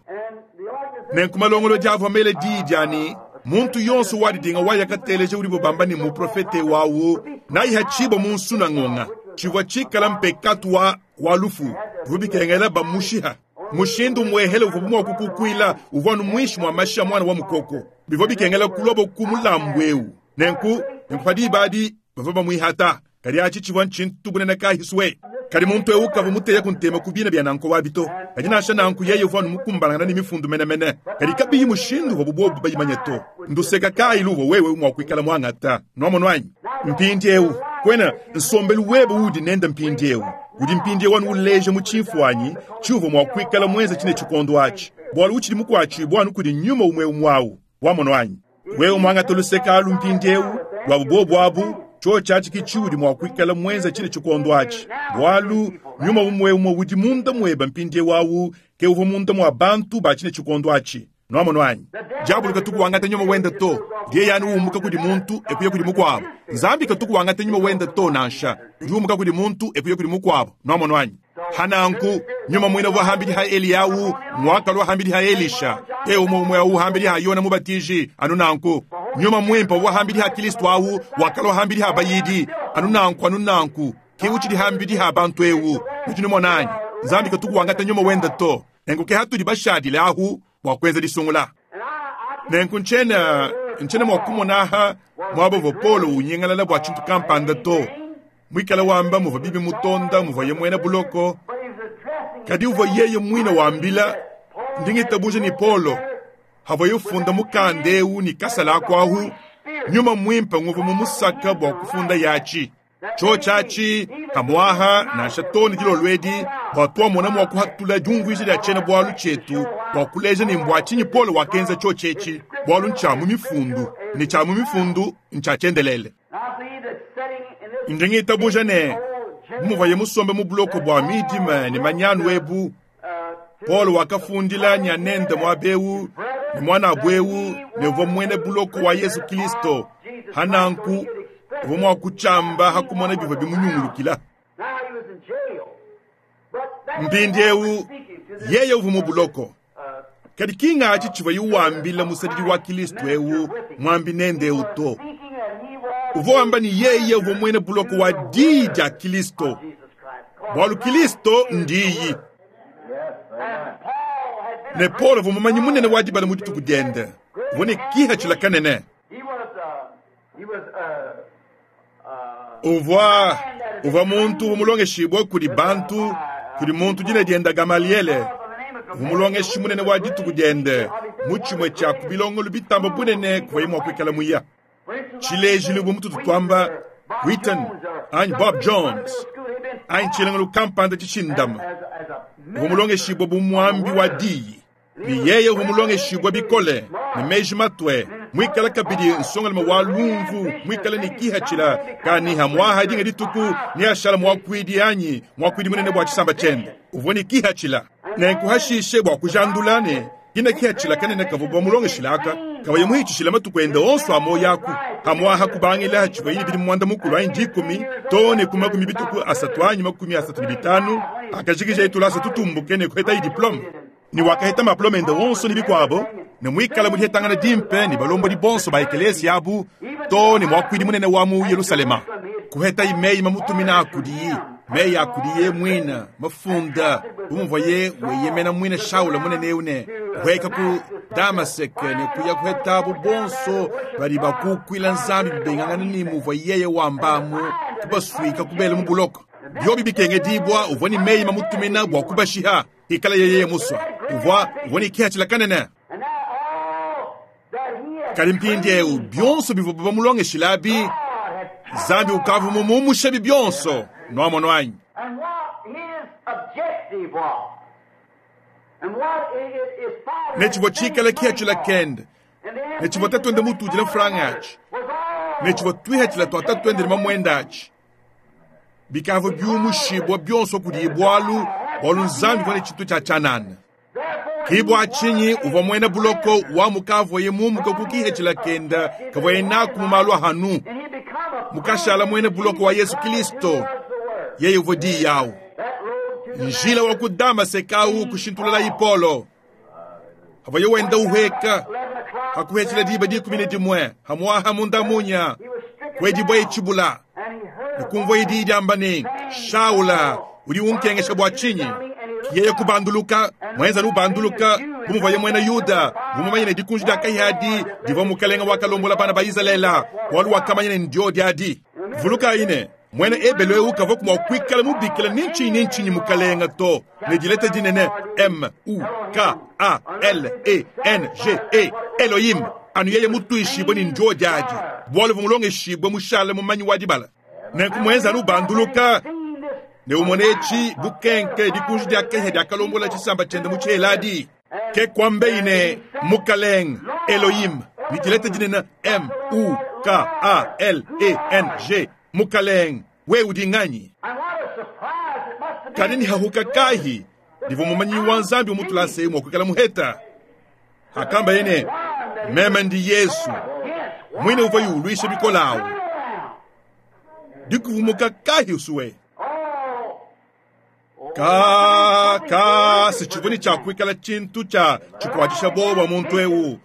Nenku malongolodi avua mele diyi dia ne, muntu yonso wadidinga waya kateleja udibo bamba ne muprofete wawu nayihatshibua mu nsunangonga, tshivua tshikala mpekatu wa wa lufu, bivua bikengela bamushiha. Mushindu umuehele uvua mua kukukuila uvua anu muinshi mua mashi a muana wa mukoko. Bivua bikengela kulua ku mulambu eu. Nenku, nenku pa diba adi bavua bamuihata. Kadi atshi tshivua ntshintu bunene kayi sue. Kadi muntu eu kavua muteya ku ntema ku bina bia nanku wabi to. Kadi nansha nanku yeye uvua anu mukumbanangana ne mifundu menemene. Kadi kabiyi mushindu uvuabu bobu bayimanye to. Nduseka kayi luvua wewe mua kuikala muangata? Nuamonu anyi? Mpindieu, kuena nsombelu webe uudi nende mpindieu udi mpindieu anu uleja mu tshimfuanyi tshiuvua mua kuikala muenze tshine tshikondo atshi, bualu utshidi mukuatshibua anu kudi nyuma umue umue au. Wamonu anyi? Wewe muangate luseka alu mpindieu luabu bobu abu, tshiotshi atshi ke tshiudi mua kuikala muenze tshine tshikondo atshi, bualu nyuma umue umue udi munda muebe mpindieu au ke uvua munda mua bantu ba tshine tshikondo atshi. Nuamonu anyi? Diabolo katuku wangata nyuma wende to, yeye anu umuka kudi muntu ekuya kudi mukuabu. Nzambi katuku wangata nyuma wende to nansha, udi umuka kudi muntu ekuya kudi mukuabu. Nuamonu anyi? Hananku nyuma muine uvua hambidi ha Eliyahu muakalua hambidi ha Elisha, te umue umue au hambidi ha Yona Mubatiji, anu nanku nyuma muimpe uvua hambidi ha Kristo au wakalua hambidi ha bayidi, anu nanku anu nanku ke utshidi hambidi ha bantu eu. Nudi numona anyi? Nzambi katuku wangata nyuma wende to. Nenku ke hatudi bashadile ahu bua kuenza disungula. Nenku ntshiena ntshiena mua kumona aha muaba uvua Paulo unyingalala bua tshintu kampanda to, muikale wamba muvua bibi mutonda muvuaye muena buloko, kadi uvua yeye muine wambila ndi ngitabuja ne Paulo havuaye ufunda mukanda eu ne kasala aku ahu, nyuma muimpe nguvua mumusaka bua kufunda yatshi. Tshiotshi atshi kamuaha nansha to ne dilolo edi. Bua tuamona mua kuhatula diumvuija dia tshiena-bualu tshietu bua kuleja ne mbua tshinyi Paulo wakenza tshiotshi etshi, bualu ntshia mu Mifundu, ne tshia mu Mifundu ntshia tshiendelele. Ndi ngitabuja ne, bu muvuaye musombe mu buloko bua midima ne manyanu ebu, Paulo wakafundila nyanende muaba eu ne muanabu eu ne uvua muena buloko wa Yezu Kristo. Hananku uvua mua kutshiamba ha kumona bivua bimunyungulukila. Mpindieu yeye uvua mu buloko, kadi ki ngatshi tshivuaye wambila musadidi wa Kristo eu muambi nende eu to. Uvua wamba ne yeye uvua muena buloko wa diyi dia Kristo, bualu Kristo ndiyi. Ne Paulo uvua mumanyi munene wa dibala mu dituku diende, uvua ne kihatshila kanene. Uvua uvua muntu uvua mulongeshibue kudi bantu, kudi muntu dina diende Gamaliele, uvua mulongeshi munene wa dituku diende mu tshimue tshia ku bilongelu bitamba bunene kuvuaye mua kuikala muya. Tshilejilu bu mututu tuamba Wheaton anyi Bob Jones anyi tshilongelu kampanda tshishindama, uvua mulongeshibue bu muambi wa diyi. Ne yeye uvua mulongeshibue bikole ne meji matue, muikale kabidi nsongalume wa lumvu, muikale ne kihatshila kaniha muaha dinga dituku neashala muakuidi anyi muakuidi munene bua tshisamba tshiende. Uvua ne kihatshila nenku hashishe bua kujandula ne kina kihatshila kanene kavua bamulongeshila aka kabaye muhitshishila matuku ende onso a muoyo aku hamuaha kubangila hatshivuaye ne bidimu muanda mukulu anyi dikumi too ne ku makumi bituku asatu anyi makumi asatu ne bitanu akajikija tulasa tutumbuke ne kuhetaye diplome. Ne wakaheta maplome ende onso ne bikuabo, ne muikale mu dihetangana dimpe ne balombodi bonso ba ekelesia abu too ne muakuidi munene wa mu Yelusalema. Kuhetaye meyi mamutumina a kudiye, meyi a kudiye muina mafunda bu muvuaye weyemena muina Shaula munene eu ne kuheka ku Damaseke ne kuya kuhetabu bonso badi bakukuila Nzambi bibengangana ne muvua yeye wambamu, kubasuika kubela mu buloko. Biobi bikengedibua uvua ne meyi mamutumina bua kubashiha ikala yeye musua. Uvua uvua ne kihatshila kanene. Kadi mpindieu bionso bivua bamulongeshilabi, Nzambi ukavua mumumushabi bionso. Nuamono anyi?
And what his objective was. And what his father
Ne tshivua tshikala kihatshila kende, ne tshivua tatuende mutudile mfranga atshi, ne tshivua tuihatshila tua tatuende ne mamuende atshi, bikavua biumushibua bionso kudiye bualu bualu Nzambi uvua ne tshintu tshia tshianana. Ki bua tshinyi uvua muena buloko wa mukavuaye mumuka ku kihatshila kenda kavuaye naku mu malu ahanu, mukashala muena buloko wa Yesu Kristo, yeye uvua diyi yawu. Njila wa ku Damaseke awu kushintulula Ipolo. Havuaye wenda uheka, hakuhetshila diba dikumi ne dimue, hamuaha munda munya, kuedibua itshibula. Ne kumvua diyi diamba ne, Shaula, udi unkengesha bua tshinyi? Yeye kubanduluka, muenza lubanduluka, bu muvuaye muena Yuda, bu mumanye ne dikunji dia kahadi divua mukalenga wakalombola bana ba Izalele, bualu wakamanya ne ndio diadi. Vulukayi ne, muena Ebelu eu kavua mua kuikala mubikila ni ntshinyi ni ntshinyi mukalenga to, ne dileta dinene M U K A L E N G E Elohim, anu yeye mutuishibue ne ndio diadi, bualu uvua mulongeshibue mushale mumanyi wa dibala. Nenku muenza lubanduluka ne umone etshi bukenke dikunji dia kahia diakalombola tshisamba tshiende mu tshieladi. Ke kuambeyi ne mukalenga Elohim ne dileta dinene M U K A L E N G mukalenga we udi nganyi?
And what a surprise it must have been.
Kadi ni hahuka kahi divua mumanyi wa Nzambi mutulase mua kuikala muheta. Akamba ye ne meme ndi Yesu mwine uvua yuluisha bikole awu dikuvumuka kahi usuwe. Ka ka si tshivua ne tshia kuikala tshintu tshia tshikuatshisha bowa muntu eu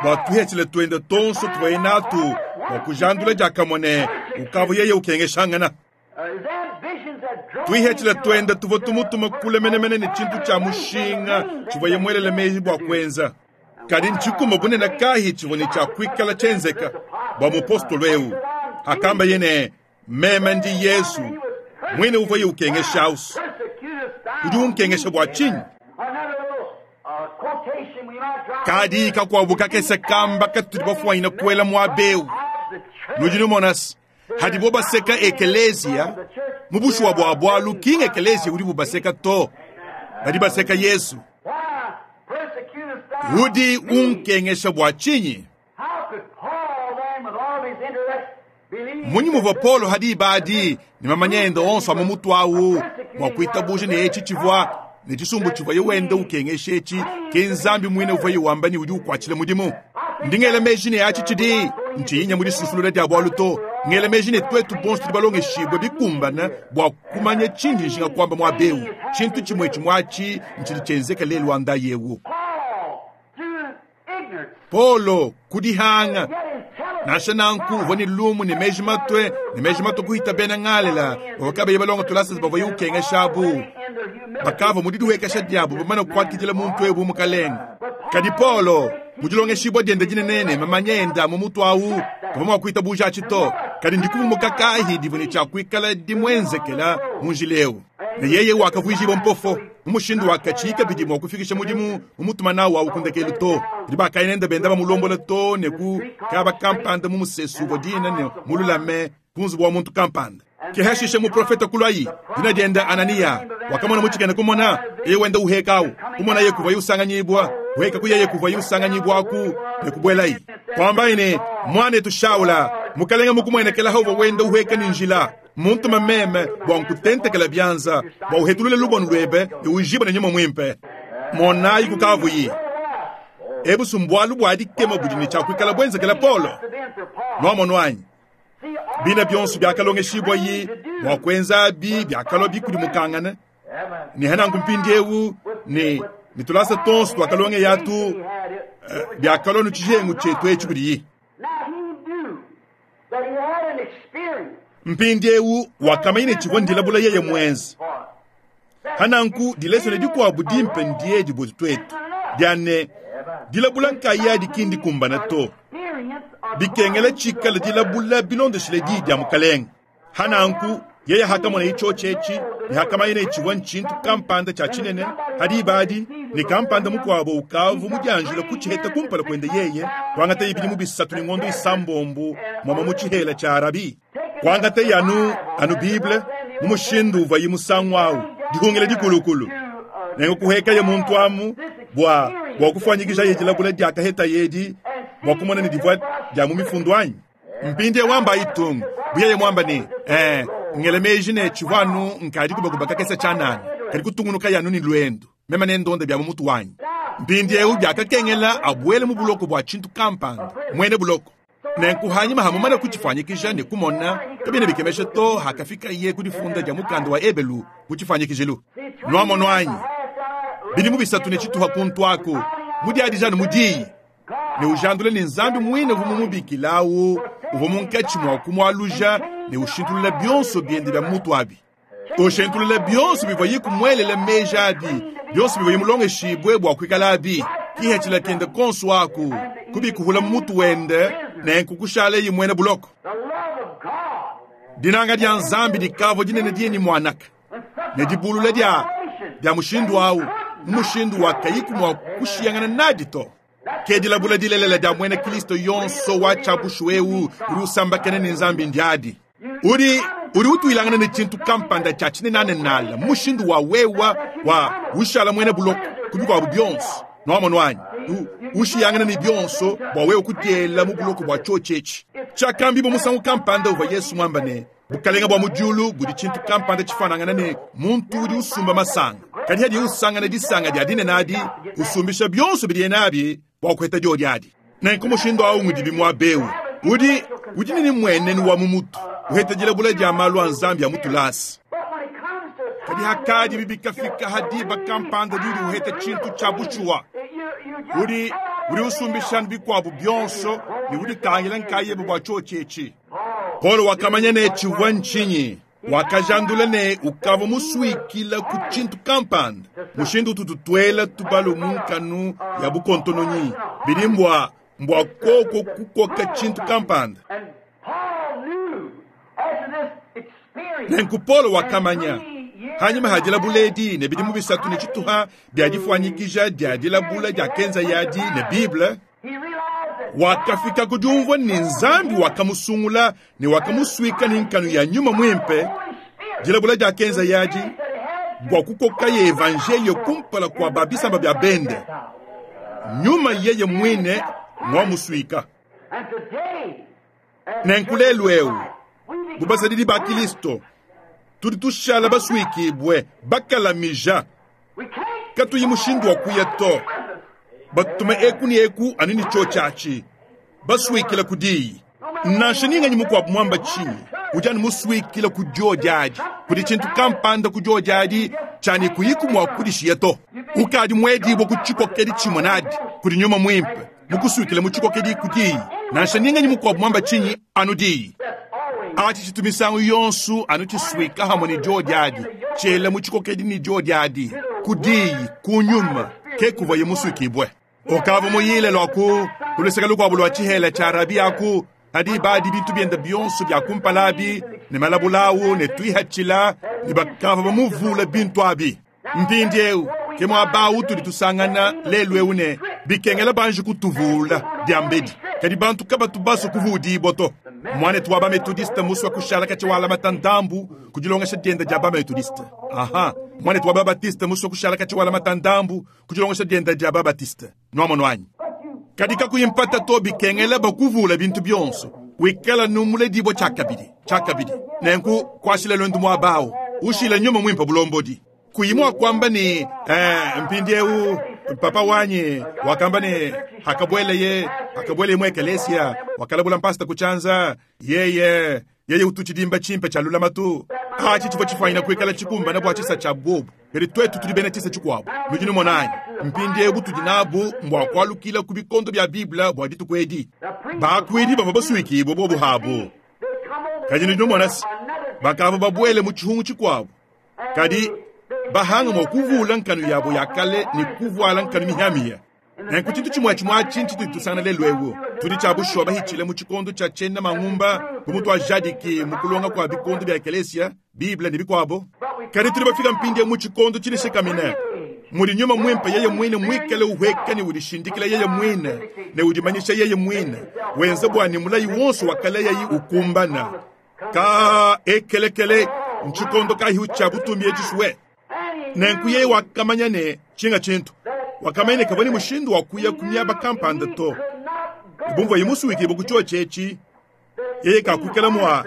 bua tuhetshile tuende tonso tuvuaye natu bua kujandula diakamue ne ukavua yeye ukengeshangana.
His ambitions had drawn
Tuihetshile
him to
tuende tuvua tumutuma kule menemene ne tshintu tshia mushinga tshivuaye muelele meji bua kuenza. Kadi ntshikumba bunene kahi tshivua ne tshia kuikala tshienzeka bua mupostolo eu. Akamba ye ne meme ndi Yesu mwine uvuaye ukengesha ausu.
persecutest thou
Udi unkengesha bua tshinyi?
Another little quotation we might drop
Kadi kakuabu kakese kamba katudi bafuanyina kuela muaba eu.
of the church.
Nudi numonasi hadibo baseka ekelesia
The church
Mu bushuwa bua bualu, ki ng'ekeleziya udibu baseka to, badi baseka Yezu. Udi unkengesha bua tshinyi? Mmunyi muvua Paulo ha diba adi ne mamanya ende onso a mu mutu au mua kuitabuja ne etshi tshivua ne tshisumbu tshivuaye wenda ukengesha etshi ke Nzambi muine uvuaye wamba ne udi ukuatshila mudimu? Ndi ngela meji ne atshi tshidi ntshiyinya mu disusulula dia bualu to. Ngela meji ne tuetu bonso tudi balongeshibue bikumbane bua kumanya tshindi njinga kuamba muaba eu. Tshintu tshimue tshimue atshi ntshidi tshienzeka lelu wa ndayi eu. Paulo ku dihanga, nansha nanku uvua ne lumu ne meji matue ne meji matue kuhita bena Ngalela bavua kabayi balonga tulasa bavuaye ukengesha abu. Bakavua mu didihuekesha diabu bamane kuakidila muntu eu bu mukalenge. Kadi Paulo mu dilongeshibua diende dinene ne mamanya ende a mu mutu au kavua mua kuitabuja atshi to. Kadi ndikuvumuka kayi divua ne tshia kuikala dimuenzekela mu njila eu? Ne yeye wakavuijibua mpofo mu mushindu wa katshiyi kabidi mua kufikisha mudimu mumutuma nawu au ku ndekelu to. Kadi bakaya nende benda bamulombola too ne ku kaba kampanda mu musesu uvua dina ne mululame ku nzubu wa muntu kampanda. Ke hashishe muprofete kuluayi, dina diende Ananiya, wakamona mu tshikena kumona yeye wenda uheka au, kumonaye kuvuaye usanganyibua, uheka ku yeye kuvuaye usanganyibua aku ne kubuelayi. Kuambaye ne, Muanetu Shaula, Mukalenge mukumuenekela uvua wenda uheka ne njila, mmuntuma meme bua nkutentekela bianza bua uhetulule lubonu luebe ne ujibe ne nyuma muimpe. Monayi kukavuyi. Ebu si mbualu bua dikema budi ne tshia kuikala buenzekela Paulo? Nuamonu anyi? Bina bionso biakalongeshibua-yi bua kuenzabi biakalua bikudimukangana ne hananku mpindieu ne ne tulasa tuonso tuakalongeyatu biakalua nu tshijengu tshietu etshi kudiyi. Mpindieu wakamanya ne tshivua ndilabula yeye muenze. Hananku dilesone dikuabu dimpe ndiedi buetu tuetu dia ne, dilabula nkayadi ki ndikumbana to. Bikengela tshikale dilabula bilondeshile diyi dia Mukalenge. Hananku yeye hakamona itshiotshi etshi ne hakamanya ne tshivua ntshintu kampanda tshia tshinene ha diba adi, ne kampanda mukuabo ukavu mudianjila kutshiheta kumpala kuende yeye, kuangataye bidimu bisatu ne ngondo isambombo muamua mu tshihela tshia Arabi. Kuangataye anu, anu Bible mu mushindu uvuaye musangu au, dihungila dikulukulu. Nenku kuhekaye muntu amu bua, bua kufuanyikijaye dilabula diakahetaye edi bua kumona ne divua dia mu mifundu anyi? Mpindieu wamba itung, bu yeye muamba ne, Ee, ngela meji ne tshivua anu nkadi kubakuba kakese tshianana, kadi kutungunukaye anu ne luendu, meme nendonde bia mu mutu wanyi. Mpindieu biakakengela abuele mu buloko bua tshintu kampanda, muena buloko. Nenku hanyima ha mumane kutshifuanyikija ne kumona, kabiena bikemesha to hakafikaye ku difunda dia mukanda wa Ebelu mu tshifuanyikijilu. Nuamonu anyi? Bidimu bisatu ne tshituha kuntu aku, mudiadija anu mu diyi, ne ujandula ne Nzambi muine uvua mumubikila au uvua munkatshi mua kumualuja ne ushintulula bionso biende bia mutu abi. Ushintulula bionso bivuaye kumuelela meji abi, bionso bivuaye mulongeshibue bua kuikala abi, kihethila kende konso aku, kubikuhula mu mutu wende, nenku kushalaye muena buloko. Dinanga dia Nzambi dikavua dinene dieni muanaka, ne dibulula dia dia mushindu au, mu mushindu wa kayiku mua kushiyangana nadi to. Ke dilabula dilelela dia muena Kristo yonso wa tshia bushuwa eu udi usambakena ne Nzambi ndiadi. Udi, udi utuilangana ne tshintu kampanda tshia tshinenanenala mu mushindu wa wewa wa ushala muena buloko ku bikuabu bionso. Nuamonu anyi? Ushiyangana ne bionso bua wewe kudiela mu buloko bua tshiotshi etshi. Tshiakambibua musangu kampanda uvua Yesu muamba ne, Bukalenge bua mu diulu budi tshintu kampanda tshifuanangana ne muntu udi usumba masanga, kadi hadiye usangana disanga dia dinene adi, usumbisha bionso bidiye nabi bua kuheta diodi adi. Nenku mushindu au ngudibi muaba eu. Udi, udi ne mmuenenu wa mu mutu, uheta dilabula dia malu a Nzambi a mu tulasa. Kadi hakadi bikafika ha diba kampanda diudi uheta tshintu tshia bushuwa, udi, udi usumbisha bikuabu bionso ne uditangila nkayebe bua tshiotshi etshi. Paulo wakamanya ne tshivua ntshinyi. Wakajandula ne ukavua musuikila ku tshintu kampanda, mushindu ututu tuela tubalu mu nkanu ya bukontononyi, bidi mbua, mbua koko kukoka tshintu kampanda. Nenku Paulo wakamanya, hanyima ha dilabula edi ne bidimu bisatu ne tshituha bia difuanyikija dia dilabula diakenzaye adi ne Bible, wakafika ku diumvua ne Nzambi wakamusungula ne wakamusuika ne nkanu ya Nyuma Muimpe. Dilabula diakenza yadi bua kukokaye evanjeliyo kumpala kua ba bisamba bia bende. Nyuma yeye muine ngwamusuika. Nenku lelu eu, bu basadidi ba Kilisto, tudi tushala basuikibue, bakalamija, katuyi mushindu wa kuya to, batutume eku ne eku anu ne tshiotshi atshi, basuikila ku diyi. Nansha ninganyi mukuabu muamba tshinyi, udi anu musuikila ku diodi adi. Kudi tshintu kampanda ku diodi adi tshia ne kuyiku mua kudishiya to. Ukadi muedibue ku tshikokedi tshimue nadi kudi Nyuma Muimpe, mukusuikile mu tshikokedi ku diyi. Nansha ninganyi mukuabu muamba tshinyi, anu diyi. Atshi tshitu misangu yonso anu tshisuika hamue ne diodi adi, tshiela mu tshikokedi ne diodi adi, ku diyi, ku Nyuma, ke kuvuaye musuikibue. Ukavua muyile lua ku luseke lukuabu lua tshihela tshia Arabi aku, adi badi bintu biende bionso bia kumpala abi ne malabula awu ne tuihatshila, ne bakavua bamuvula bintu abi. Mpindieu ke muaba utudi tusangana lelu eu ne bikengela banji kutuvula diambedi, kadi bantu kabatu basue kuvudibua to. Muanetu wa ba-Metodiste musue kushala katshia walamata ndambu ku dilongesha diende dia ba-Metodiste. Aha, muanetu wa ba-Baptiste musue kushala katshia walamata ndambu ku dilongesha diende dia ba-Baptiste. Nuamonu anyi? Kadi kakuyi mpata to, bikengela bakuvula bintu bionso, wikala nu muledibua tshiakabidi, tshiakabidi. Nenku kuashila luendu muaba au, ushila Nyuma Muimpe bulombodi. Kuyi mua kuamba ne, mpindieu papa wanyi wakamba ne, hakabueleye, hakabueleye mu ekelesia, wakalabula mpasta ku tshianza, yeye, yeye utu tshidimba tshimpe tshia lulamatu. Atshi tshivua tshifuanyina kuikala tshikumbana bua tshisa tshia bobu, kadi tuetu tudi bena tshisa tshikuabu. Nudi numona anyi? Mpindieu butudi nabu mbua kualukila ku bikondo bia Bible bua dituku edi. Bakuidi bavua basuikibue bobu habu, kadi nudi numona se, bakavua babuele mu tshihungu tshikuabu. Kadi bahanga mua kuvula nkanu yabo ya kale ne kuvuala nkanu mihiamihia. Nenku tshintu tshimue tshimue atshi ntshitudi tusangana lelu eu. Tudi tshia bushuwa bahitshile mu tshikondo tshia tshiena mangumba bu mutuajadiki mu kulonga kua bikondo bia ekelesia, Bible ne bikuabo. Kadi tudi bafika mpindieu mu tshikondo tshidishikamine mudi Nyuma Muimpe yeye muine muikale uhueka ne udishindikila yeye muine ne udimanyisha yeye muine, wenza bua ne mulayi wonso wa kale yayi ukumbana. Ka ekelekele ntshikondo kayi tshia butumbi etshishue. Nenku yeye wakamanya ne tshinga tshintu, wakamanya ne kavua ne mushindu wa kuya ku miaba kampanda to. Bu muvuaye musuikibue ku tshiotshi etshi, yeye kakuikala mua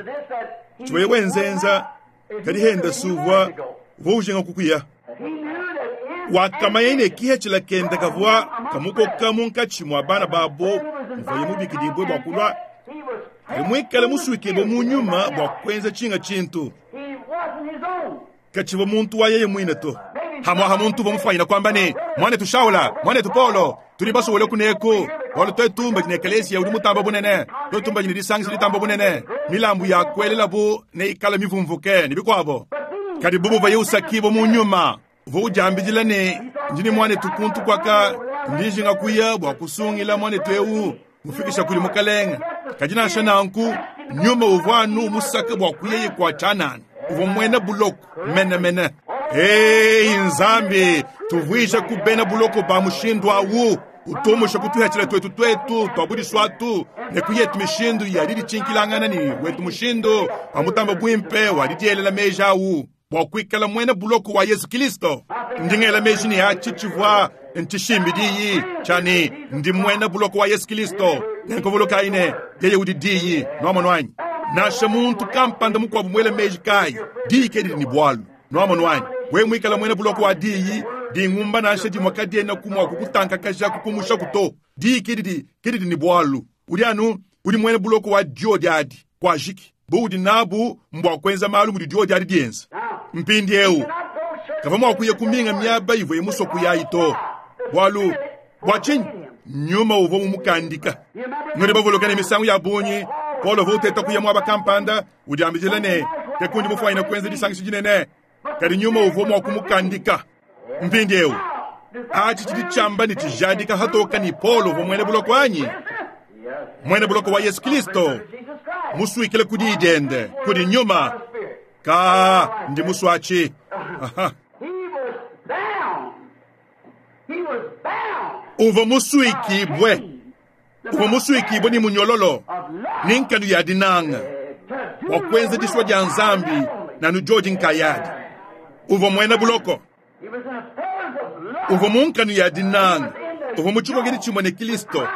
tshivuaye wenzenza, kadi henda si uvua uvua ujinga kukuya. Wakamanya ne kihetshila kende kavua kamukoka munkatshi mua bana babo muvuaye mubikidibue bua kulua, kadi muikale musuikibue mu nyuma bua kuenza tshinga tshintu. Katshivua muntu wa yeye muine to. Hamuaha muntu uvua mufuanyina kuamba ne, muanetu Shaula, muanetu Paulo, tudi basowele kuneku, bualu tuetu mbadi ne ekelesia udi mutamba bunene, tuetu mbadi ne disangisha ditamba bunene, milambu ya kuelelabu neikale mivumvuke ne bikuabo. Kadi bu muvuaye usakibua mu nyuma, uvua udiambidila ne, ndi ne muanetu kuntu kuaka, ndi njinga kuya bua kusungila muanetu eu, mufikisha kudi Mukalenge. Kadi nansha nanku, nyuma uvua anu umusaka bua kuyeye kua tshianana. Uvua muena buloko menemene. Ei Nzambi, tuvuija ku bena buloko ba mushindu awu, utumusha kutuhatshila tuetu tuetu tuabudiswatu ne kuyetu mishindu ya diditshinkilangana ne wetu mushindu wa mutamba buimpe wa didielela meji awu bua kuikala muena buloko wa Yesu Kristo. Ndi ngela meji ne atshi tshivua ntshishimbi diyi tshia ne ndi muena buloko wa Yesu Kristo. Nenku ne yeye udi diyi, nuamonu anyi? Nansha muntu kampanda mukuabu muele meji kayi, diyi ke didi ne bualu, nuamonu anyi? Wewe muikala muena buloko wa diyi, dingumba nansha dimue kadiena ku mua kukutankakaja kukumushaku to. Diyi ke didi ke didi ne bualu. Udi anu udi muena buloko wa diodi adi, kuajiki. Bu udi nabu mbua kuenza malu mudi diodi adi dienza. Mpindieu kavua mua kuya kuminga miaba ivuaye musue kuyayi to. Bualu bua tshinyi? Nyuma uvua mumukandika. Nudi bavuluka ne misangu ya bungi Paulo uvua uteta kuya muaba kampanda, udiambidila ne ke kundi mufuanyina kuenza disangisha dinene, kadi nyuma uvua mua kumukandika. Mpindieu atshi tshidi tshiamba ne tshijadika hatoka ni Paulo uvua muena buloko anyi? Muena buloko wa Yesu Kristo, musuikile ku diyi diende kudi nyuma. Ka ndi musuatshi. Aha.
He was bound. He was bound.
Uvua musuikibue, uvua musuikibue ni munyololo ni nkanu ya dinanga bua kuenza disua dia Nzambi. Nanu diodi nkayadi. Uvua muena buloko. Uvua mu nkanu ya dinanga. Uvua mu tshikokedi tshimue ne Kristo.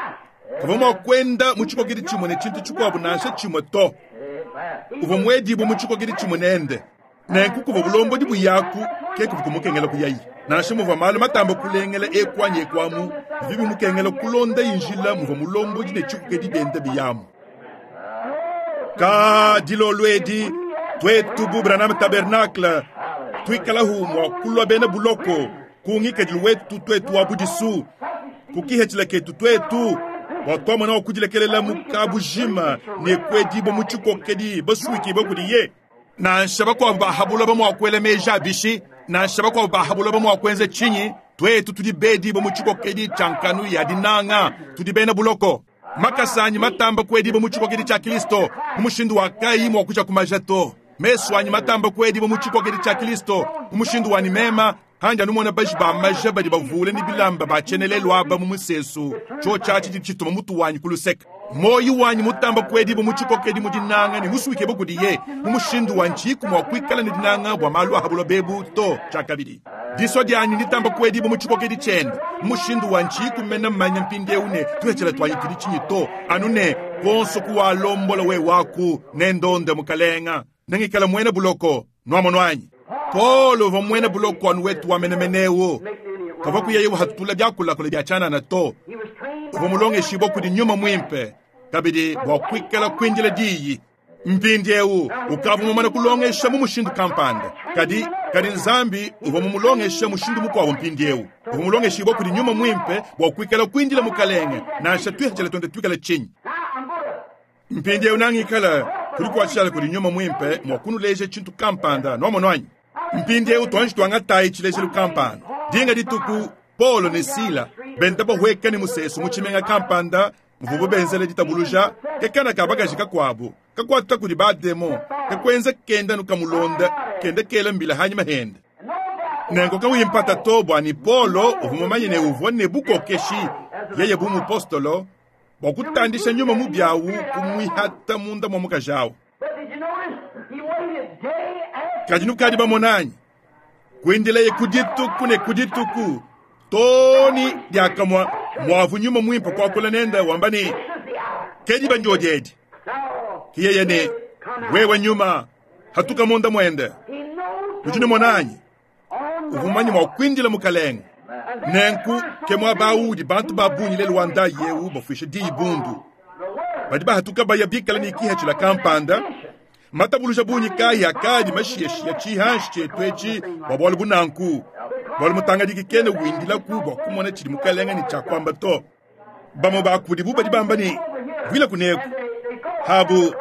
Kavua mua kuenda mu tshikokedi tshimue ne tshintu tshikuabu nansha tshimue to. Uvua muedibue mu tshikokedi tshimue nende. Nenku kuvua bulombodi buyaku ke kuvua kumukengela kuyayi. Nansha muvua malu matamba kulengela eku anyi eku amu, bivua bimukengela kulonda njila muvua mulombodi ne tshikokedi bienda biyamu. Ka dilolo edi, tuetu bu Branham Tabernacle tuikalahu mua kulua bena buloko ku ngikadilu wetu tuetu wa budisu, ku kihetshila ketu tuetu, bua tuamona wa kudilekelela mu kabujima ne kuedibua mu tshikokedi basuikibue kudiye. Nansha bakuabu bahabula mua kuela meji abishi, nansha bakuabu bahabula mua kuenza tshinyi, tuetu tudi bedibue mu tshikokedi tshia nkanu ya dinanga, tudi bena buloko. Makasa anyi matamba kuedibua mu tshikokedi tshia Kristo, mu mushindu wa kayi mua kuja kumaja to. Mesu anyi matamba kuedibua mu tshikokedi tshia Kristo, mu mushindu wa nimema, handi anumona baji ba maja badi bavule ne bilamba ba tshienelelu aba mu musesu, tshio tshiatshi tshituma mutu wanyi ku luseke. Moyi wanyi mutamba kuedibua mu tshikokedi mu dinanga ne musuikibue kudiye, mu mushindu wa ntshiku mua kuikala ne dinanga bua malu a habulo bebu to tshiakabidi. Disua dianyi nditamba kuedibua mu tshikokedi tshiende, mu mushindu wa ntshiku mena mmanya mpindieu ne tuhetshela tuanyi tudi tshinyi to, anu ne kuonso kuwalombola we waku ne ndonde mukalenga, nengikala muena buloko nuamono anyi. Paul uvua muena buloko anu wetu wa menemeneu, kavua kuyeye uhatula biakulakula bia tshianana to. Uvua mulongeshibua kudi nyuma muimpe kabidi bua kuikala kuindila diyi. Mpindieu ukavua mumane kulongesha mu mushindu kampanda, kadi kadi Nzambi uvua mumulongesha mushindu mukuabu. Mpindieu uvua mulongeshibua kudi nyuma muimpe bua kuikala kuindila mukalenge, nansha tuihatshila tuende tuikala tshinyi. Mpindieu nangikala kudi kudi nyuma muimpe mua kunuleja tshintu kampanda nuamono anyi. Mpindieu tuanji tuangatayi tshilejelu kampanda. Dinga dituku Paulo ne Sila benda bahweka ne musesu mu tshimenga kampanda muvubu benzela ditabuluja, ke kana ka bakaji kakuabu kakuata kudi bademo kakuenza kenda nukamulonda kenda kela mbila hanyima hende. Nenku kawimpata to bua ni Paulo uvua mumanye ne uvua ne bukokeshi yeye bu mupostolo bua kutandisha nyuma mubi awu kumwihata munda mwa mukaji awu. Kadi nukadi bamonanyi kuendeleye kudituku ne kudituku toni diakamua mwavu nyuma muimpe kuakula nende wamba ne kedi banjodiedi kiyeye ne wewe nyuma hatuka munda mwende. Udi monanyi uvumanye mwa kuindila mukalenge. Nenku ke muaba udi bantu ba bungi lelu wa ndayi yewu bafuisha diyi bundu. Badi bahatuka baya bikala ne kihatshila kampanda matabuluja bungi kayi akadi mashiashia tshihanshi tshietu etshi bua bualu bunanku. Bualu mutangadiki kena windilaku bua kumona tshidi mukalenge ne tshiakuamba to. Bamue bakudi bu badi bamba ne vuila kuneku habu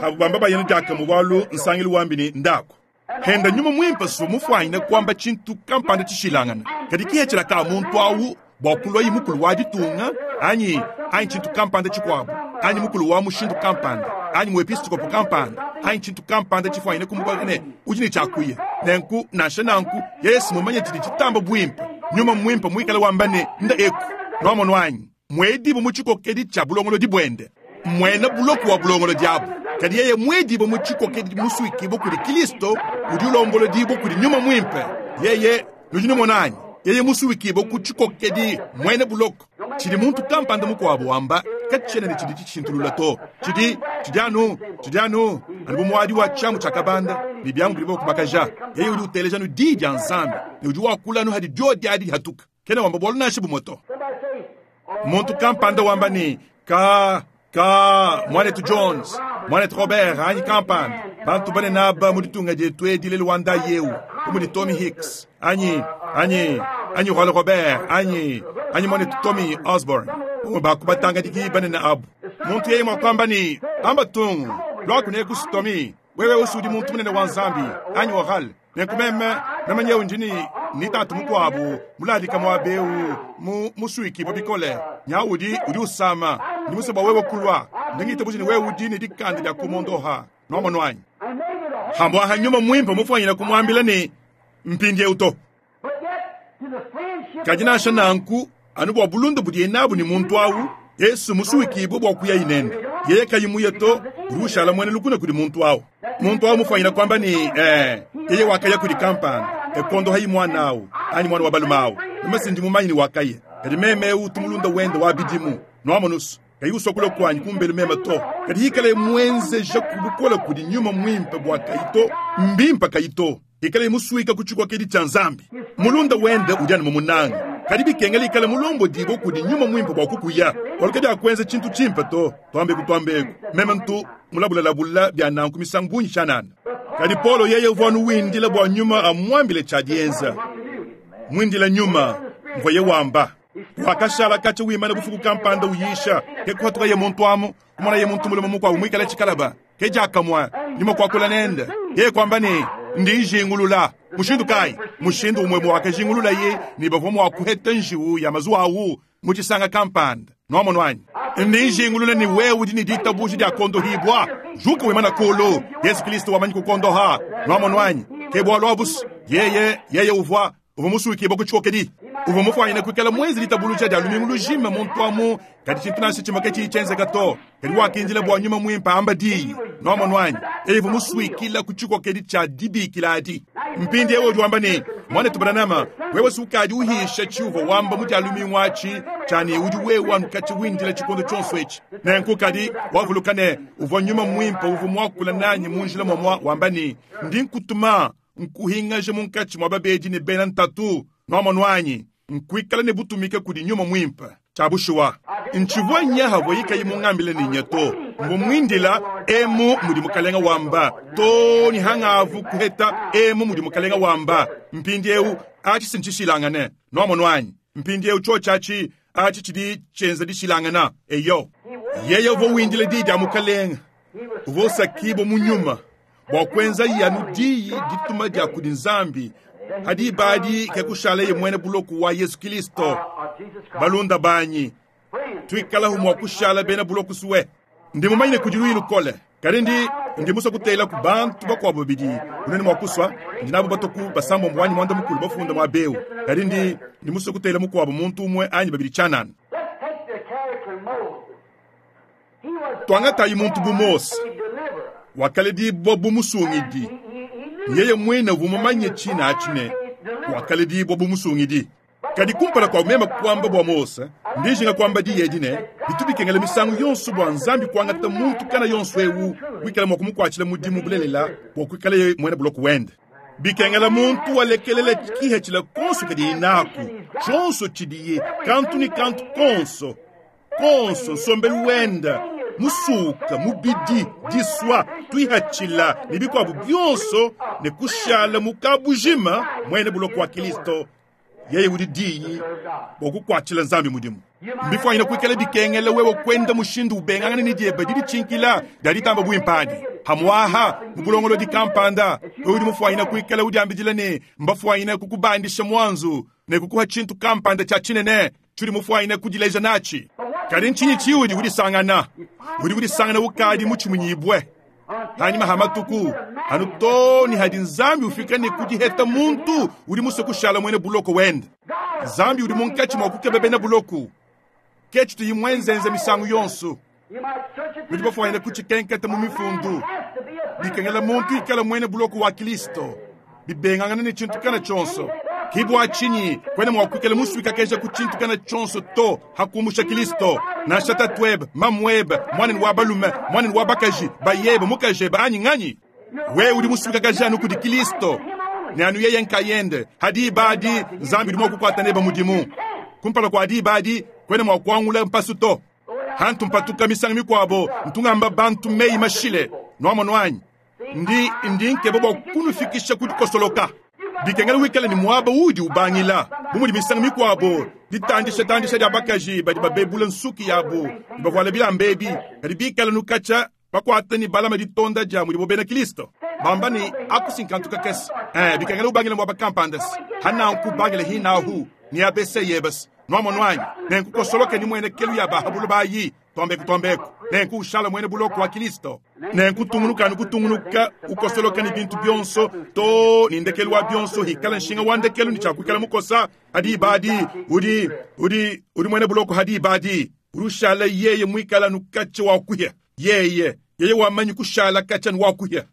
habu bamba bayena diakamue bualu nsangilu wambi ne ndaku. Henda nyuma muimpe su mufuanyine kuamba tshintu kampanda tshishilangana. Kadi kihetshila ka muntu awu bua kulua mukulu wa ditunga anyi anyi tshintu kampanda tshikuabu anyi mukulu wa mushindu kampanda anyi muepiskopo kampanda anyi tshintu kampanda tshifuanyine kumukoka ne udi ne tshiakuya. Nenku nansha nanku Yesu mumanye tshidi tshitamba buimpe, nyuma muimpe muikale wamba ne nda eku nuamono anyi mwedibu mu tshikokedi tshia bulongolodi buende, muena buloko wa bulongolodi abu. Kadi yeye mwedibu mu tshikokedi musuikibue kudi Kristo udi ulombolodibue kudi nyuma muimpe. Yeye nudi numona anyi yeye musuikibue ku tshikokedi muena buloko. Tshidi muntu kampanda mukuabu wamba katshiena ne tshidi tshishintulula to. Tshidi tshidi anu anu bu muadi wa tshiamu tshia kabanda ne biamu bidi bakubakaja. Yeye udi uteleja nu diyi dia Nzambi ne udi wakula anu hadi diodi adi dihatuka. Kena wamba bualu nansha bumue to. Muntu kampanda wamba ne ka ka mwanetu Jones, mwanetu Robert anyi kampanda bantu banene aba mu ditunga dietu edi lelu wa ndayi eu bu mudi Tommy Hicks anyi anyi anyi Oral Robert anyi anyi mwanetu Tommy Osborne bamue bakubatangadiki banene abu. Muntu yeye mua kuamba ne amba tungu lwakuneku Tommy wewe usudi muntu munene wa Nzambi anyi Oral. Nenku meme meme nyewu ndi ni tatu mukuabu muladika muaba eu mu musuikibue bikole nya udi udi usama ndi musue bua wewe kulua ndingitabuja ne wewe udi ne dikanda dia kumondoha nuamono anyi. Hambua nyuma muimpe mufuanyine kumuambila ne mpindieu to. Kadi nansha nanku anu bua bulunda budiye nabu ne muntu awu Yesu musuikibue bua kuya inende. Yeye kayi muye to, udi ushala muena lukuna kudi muntu au. Muntu au mufwanyina kwamba ne, ee, yeye wakaya kudi kampanda, e kuondohayi muana au, anyi muana wa balume au. Meme si ndi mumanye ne wakaya. Kadi meme eu utu mulunda wende wa bidimu. Nwamonu's, kayi usua kulua kuanyi kumbelu meme to. Kadi hikalaye muenzeja ku bukole kudi Nyuma Muimpe bua kayi to, mbimpe kayi to. Ikalaye musuika ku tshikokedi tshia Nzambi. Mulunda wende udi anu mumunange. Kadi bikengela ikale mulombodibue kudi Nyuma Muimpe bua kukuya, bualu kadiakuenza tshintu tshimpe to. Tuambeku tuambeku, meme ntu mulabulalabula bia nanku misangu bungi tshianana. Kadi Paulo yeye uvua anu windila bua Nyuma amuambile tshia dienza. Muindila Nyuma, mvuaye wamba. Wakashala katshia wimana bufuku kampanda uyisha, ke kuhatukaye muntu amu, kumonaye muntu mulume mukuabu muikale tshikalaba. Ke diakamue, Nyuma kuakula nende. Yeye kuamba ne, Ndi njingulula. Mushindu kayi? Mushindu umue wakajingululaye ne, bavua mua kuheta njiwu ya mazuwa au mu tshisanga kampanda. Nuamonu anyi? Ndi njingulula ne, wewe udi ne ditabuja dia kuondohibua. Juka wimana kulu. Yezu Kristo wamanyi kukuondoha. Nuamonu anyi? Ke bualu abu's. Yeye, yeye uvua, uvua musuikibue ku tshikokedi. Uvua mufuanyine kuikala muenze ditabuluja dia lumingu lujima muntu amu, kadi tshintu nansha tshimue katshiyi tshienzeka to. Kadi wakindila bua Nyuma Muimpe amba diyi. Nuamonu anyi? Yeye uvua musuikila ku tshikokedi tshia dibikila adi. Mpindiewu udi wamba ne, Muanetu Branham, wewe si ukadi uhisha tshiuvua wamba mu dia lumingu atshi, tshia ne udi wewe anu katshia windila tshikondo tshionso etshi. Nenku kadi wavuluka ne, uvua Nyuma Muimpe uvua muakula nanyi mu njila muamua wamba ne, Ndi nkutuma nkuhingaje munkatshi mua babedi ne bena ntatu. Nuamonu anyi? Nkuikala ne butumike kudi Nyuma Muimpe. Tshia bushuwa, ntshivua nya havuaye kayi mungambile ne nya to. Mvua muindila, Emu mudi Mukalenga wamba, too ne hangavu kuheta, Emu mudi Mukalenga wamba. Mpindiewu, atshi si ntshishilangane. Nuamonu anyi? Mpindiewu, tshiotshi atshi, atshi tshidi tshienza dishilangana. Eyo. Yeye uvua windila diyi dia Mukalenga. Uvua usakibua mu Nyuma bua kuenzaye anu diyi dituma dia kudi Nzambi. Ha diba adi ke kushaleye muena buloko wa Yezu Kilisto. Balunda banyi, tuikalahu mua kushala bena buloko sue. Ndi mumanye ne kudi luyi lukole, kadi ndi, ndi musue kutelaku bantu bakuabo babidi bunene mua kusua. Ndi nabo batue ku basambombo anyi muanda-mukulu bafunda muaba eu, kadi ndi, ndi musue kutela mukuabo muntu umue anyi babidi tshianana. Tuangatayi muntu bu Mose, wakaledibua bu musungidi. Yeye muine uvua mumanye tshine atshi ne, wakaledibua bu musungidi. Kadi kumpala kua meme kuamba bua Mose, ndi njinga kuamba diyi edi ne, bitu bikengela misangu yonso bua Nzambi kuangata muntu kana yonso eu wikala mua kumukuatshila mudimu bulelela bua kuikalaye muena buloko wende. Bikengela muntu walekelela kihetshila konso kadiye naku, tshionso tshidiye, kantu ne kantu konso. Konso, nsombelu wende, musuka, mubidi, disua, tuihatshila, ne bikuabu bionso, ne kushala mu kabujima muena buloko wa Kilisto, yeye udi Diyi, bua kukuatshila Nzambi mudimu. Mbifuanyine kuikala bikengela wewe kuenda mushindu ubengangana ne diebe diditshinkila dia ditamba buimpe adi. Pamu'aha, mu bulongolodi kampanda, wewe udi mufuanyine kuikala udiambidila ne, mbafuanyine kukubandisha muanzu ne kukuha tshintu kampanda tshia tshinene, Tshiudi mufuanyine kudileja natshi. Kadi ntshinyi tshiudi udisangana? Udi udisangana ukadi mutshimunyibue panyima ha matuku, anu too ne hadi Nzambi ufika ne ku diheta muntu udi musue kushala muena buloko wende. Nzambi udi munkatshi mua kukeba bena buloko. Ke tshituyi muenzenze misangu yonso. Nudi bafuanyine kutshikenketa mu Mifundu. Bikengela muntu ikala muena buloko wa Kilisto, bibengangana ne tshintu kana tshionso. Ke bua tshinyi kuena mua kuikala musuikakeja ku tshintu kana tshionso to ha kumusha Kilisto, nansha tatuebe, mamuebe, muanenu wa balume, muanenu wa bakaji, bayebe, mukajebe anyi nganyi. Wewe udi musuikakaja anu kudi Kilisto ne anu yeye nkayende. Ha diba adi Nzambi udi mua kukuata nebe mudimu. Kumpala kua diba adi kuena mua kuangula mpasu to. Hantu mpatuka misangu mikuabo, ntu ngamba bantu meyi mashile. Nuamonu anyi? Ndi, ndi nkeba bua kunufikisha ku dikosoloka. Bikengela wikale ne muaba uudi ubangila. Bu mudi misangu mikuabo ditandisha-tandisha dia bakaji badi babebula nsuki yabu ne bavuala bilamba ebi, kadi bikale nukatshia bakuata ne balama ditonda dia mudibo bena Kristo, bamba ne, Aku si nkantu kakese. Eh, bikengela ubangila muaba kampanda-se. Hananku bangila hinahu ne ABC yebe-se. Nuamonu anyi? Nenku kosoloke ne muenekelu ya ba ha buloba ayi, tuambeku tuambeku. Nenku ushala muena buloko wa Kilisto. Nenku tungunuka anu kutungunuka, ukosoloka ne bintu bionso, too ne ndekelu wa bionso hikala nshinga wa ndekelu ne tshia kuikala mukosa ha diba adi, udi, udi, udi muena buloko ha diba adi. Udi ushala yeye muikala anu katshia wa kuhia. Yeye, yeye wamanyi kushala katshia ne wakuhia.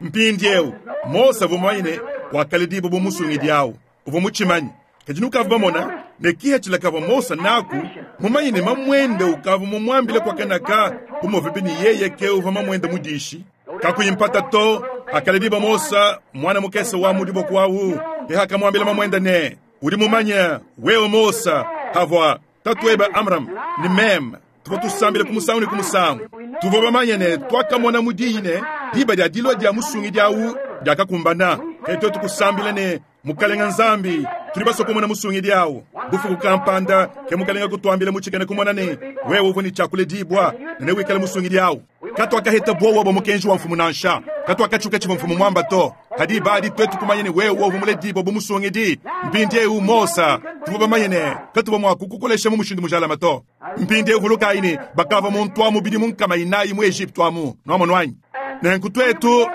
Mpindieu, Mose uvua mumanye ne wakaledibua bu musungidi au. Uvua mutshimanye. Kadi nukavua bamona ne kihachila kavua Mose naku, mumanye ne mamuende ukavua mumuambile kwa kanaka, bu muvubi ne yeye ke uvua mamuende mudishi. Kakuyi mpata to, akalediba Mose mwana mukese wa mu diboko awu, ke akamwambila mamuende ne, udi mumanye wewe Mose havua tatuebe Amram ne meme tuvua tusambila ku musangu ne ku musangu. Tuvua bamanye ne twakamona mu diyi ne diba dia dilua dia musungidi awu diakakumbana. Ke tuetu kusambila ne Mukalenga Nzambi, tudi basue kumona musungidi awu. Bufuku kampanda ke Mukalenga kutuambila mu tshikena kumona ne wewe uvua ne tshiakuledibua ne newikale musungidi awu. Katuakaheta buowa bua mukenji wa mfumu nansha. Katuakatshiuka tshivua mfumu muamba to. Kadi badi tuetu kumanya ne wewe uvua muledibua bu musungidi. Mpindieu Mose, tuvua bamanye ne katuvua mua kukukolesha mu mushindu mujalame to. Mpindieu vulukayi ne bakavua muntu wa mubidi mu nkama inayi mu Egypte amu. Nuamonu anyi? Nenku tuetu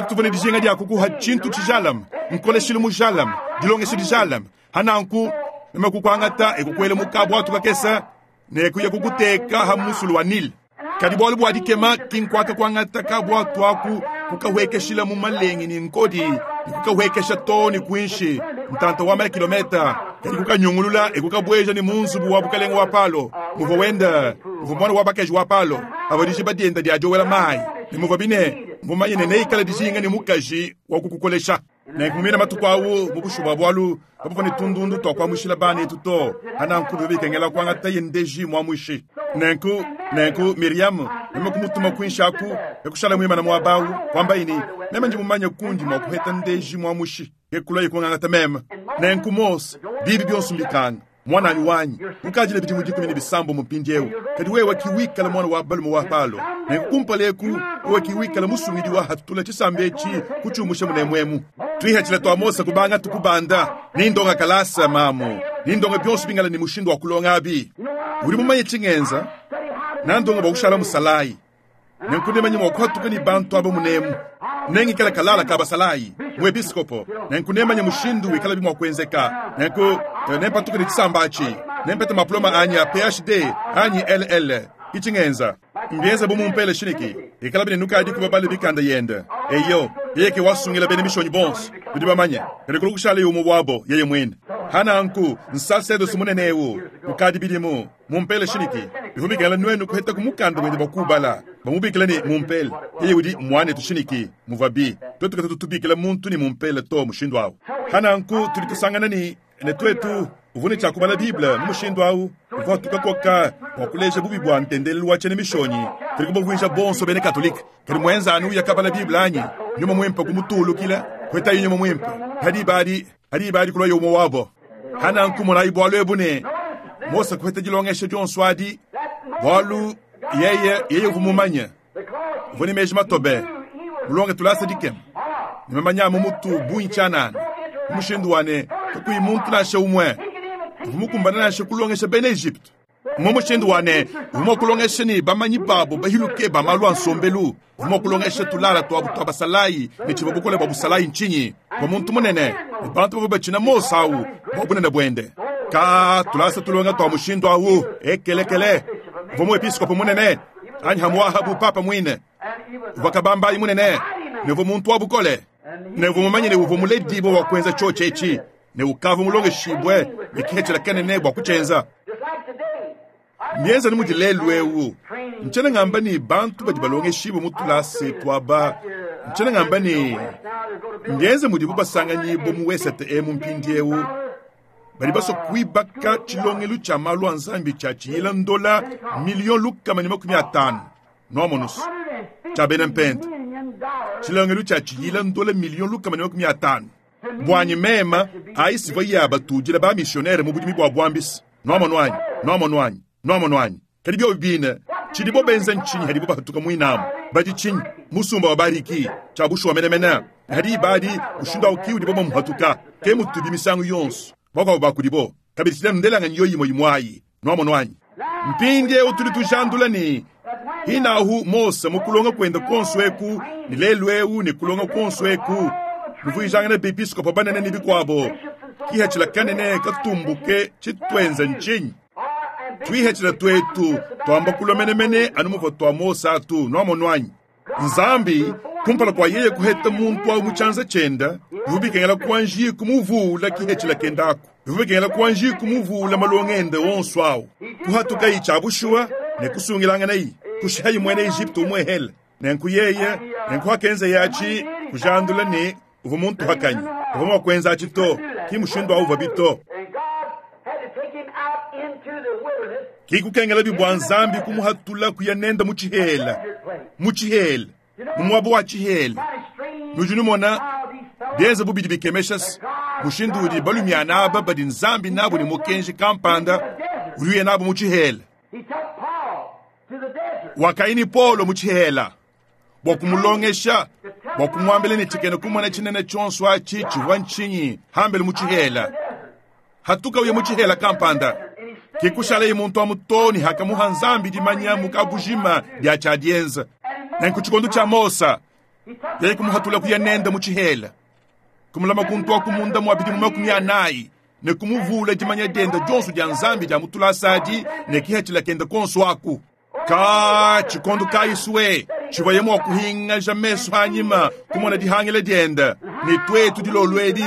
tuvua ne dijinga dia kukuha tshintu tshijalame, nkoleshilu mujalame, dilongesha dijalame. Hananku meme kukuangata ekukuela mu kabwatu kakesa ne kuya kukuteka ha musulu wa Nile. Kadi bualu bua dikema ki nkuaka kuangata kabwatu aku kukawekeshila mu malengi ni nkodi ni kukawekesha to ni kuinshi ntanta wa mala kilometa. Kadi kukanyungulula ekukabweja ni mu nzubu wa bukalenga wa Palo. Muvua wenda muvua mwana wa bakaji wa Palo avua dijiba dienda dia diowela mayi ne muvua bine mumanye ne neikale dijinga ne mukaji wa kukukolesha. Nenku matuku awu mu bushu bua bualu kabuvua ne tundundu tua kuamushila bana etu to. Hananku bivua bikengela kuangata ye ndeji muamuishi. Nenku Miriam meme kumutuma kuinshi aku ekushala muimana muaba awu kuamba ini meme ndi mumanye kundi mua kuheta ndeji muamuishi kekula kungangata meme. Nenku Mose bibi bionso mbikanga mwananyi wanyi ukajile bidimu 17 mu mpindieu. Kadi wewe kiwikala mwana wa balume wa Palo. Nenku kumpaleku wewe kiwikala musungidi wa hatula tshisambe etshi kutshiumusha munemwemu. Twihachila twa Mose kubanga tukubanda nindonga kalasa mamu nindonga bionso bingala ni mushindu wa kulonga abi. Uri mumanye tshingenza nandonga bwa kushala musalayi. Nenku nemanye mwa kuhatuka ni bantu abo munemu. Nengikala kalala ka basalayi muepiskopo. Nenku nemanye mushindu wikala bimwa kuenzeka. Nenku nempatuka ni tshisambachi nempeta maploma anyi ya PhD anyi LL ichingenza mbienza bumumpele shiniki ikala bine nukadi kuba bale bikanda yende. Eyo yeke wasungila bene mishonyi bonso bidi bamanye kadi kulukushala yumu wabo yeye mwene. Hananku nsasedo sumunene ukadi bidimu mumpele shiniki bihumikela nwenu kuheta kumukanda mwende bakubala bamubikila ni mumpele yeye udi mwane tushiniki muvabi twetu katu tubikila muntu ni mumpele to mushindu awu. Hananku tuli tusangana ni ne twetu uvune chakubala Bible mu mushindu awu uvua tukakoka bua kuleja bubi bua ntendelelu wa tshene mishonyi. Tuli kubavuisha bonso bene katolika. Kadi mwenza anu yakabala Bible anyi nyuma mwimpe kumutulukila kweta nyuma mwimpe hadi ibadi kulwa yomo wabo. Hananku monayi bualu ebu ne Mose kweta dilongesha dionso adi bualu yeye yeye uvua mumanye uvua ne meji matobe mulonge tulasa dikema ne mamanya mu mutu bungi tshianana mushindu wane kakuyi muntu nansha umwe uvua mukumbana nansha kulongesha bena Egypte. Mu mushindu wane uvua mua kulongesha ni bamanyi babo bahiluke ba malu a nsombelu. Uvua mua kulongesha tulala tuabu tua basalayi ne tshivua bukole bua busalayi ntshinyi bua muntu munene ne bantu bavua batshina Mose awu bua bunene buende. Ka tulasa tulonga tua mushindu awu ekelekele uvua muepiskopo munene anyi hamuaha bu papa mwine uvua kabambayi munene ne uvua muntu wa bukole ne uvua mumanye ne uvua muledibue wa kuenza tshiotshi etshi ne ukavua mulongeshibue ne kihechela kenene bua kutshienza. Mienza ni mudi lelu ewu ntshiena ngamba ni bantu badi balongeshibue mu tulase tuaba. Ntshiena ngamba ni mbienza mudibu basanganyibue mu wesete emu mpindiewu badi basua kuibaka tshilongelu tshia malu a Nzambi tshia tshiyila ndola million lukama ne 50 noamonusu tshia bena mpenta. Tshilongelu tshia tshiyila ndola million lukama ne 50 bwanyi mema ayi sivua ya batudila ba missionnaire mu budimi bua bwambisi. Noamonuanyi noamonuanyi noamonuanyi kadi bio bine tshidibo benza ntshinyi hadibo bahatuka mwinamu badi tshinyi musumba wa bariki tshia bushuwa menemene hadi ibadi mushindu awu ki udibo bamuhatuka ke mutubi misangu yonso bakwabo bakudibo kabidi tshila ndelanga nyo yimo yimwayi noamonuanyi. Mpindiewu tuli tujandula ni hinahu Mose mukulonga kwenda konso eku ni lelu ewu ni kulonga konso eku muvuijangana bepiskopo banene ni bikwabo kihachila kanene katumbuke tshitwenza ntshinyi. Twihacila twetu twamba kulwa menemene anu muvwa twa Mose atu, nwamonu anyi? Nzambi kumpala kwa yeye kuheta muntu awu mu tshianza tshienda, bivua bikengela kuanji kumuvula kihecila kenda aku. Bivua bikengela kuanji kumuvula malonga ende onso awu. Kuhatukayi tshia bushuwa ne kusungilanganayi, kushihayi muena Egypte umuehele. Nenku yeye, nenku akenza yatshi kujandula ne uvua muntu hakanyi. Uvua mua kuenza atshi to, ki mushindu awu uvua bito.
And God had to take him out into the wilderness,
Ki kukengela bibwa Nzambi kumuhatula kuya nenda mu tshihela.
desert place.
Mu tshihela, mu muaba wa tshihela.
Kind of strange
Nudi numona
how these fellows
bienze bubidi bikemesha mushindu udi balumiana aba badi Nzambi nabo ne mukenji kampanda uluye nabo mu tshihela.
He took Paul to the desert.
Wakaini Paulo mu tshihela bua kumulongesha, bua kumuambila ne tshikena kumona tshinene tshionso atshi tshivua ntshinyi hambele mu tshihela. Hatuka uye mu tshihela kampanda. Ke kushalaye muntu wa mutoni hakamuha Nzambi dimanya mukabujima dia tshiadienza. Nenku tshikondo tshia Mose yeye kumuhatula kuya nenda mu tshihela, kumulama kuntu akumunda mwa bidimu 40 ne kumuvula dimanya dienda dionso dia Nzambi dia mutulasadi ne kihatshila kenda konso aku. Ka tshikondo kayiswe tshivua mua kuhingaja meso anyima kumona dihangila dienda ne twetu dilolwedi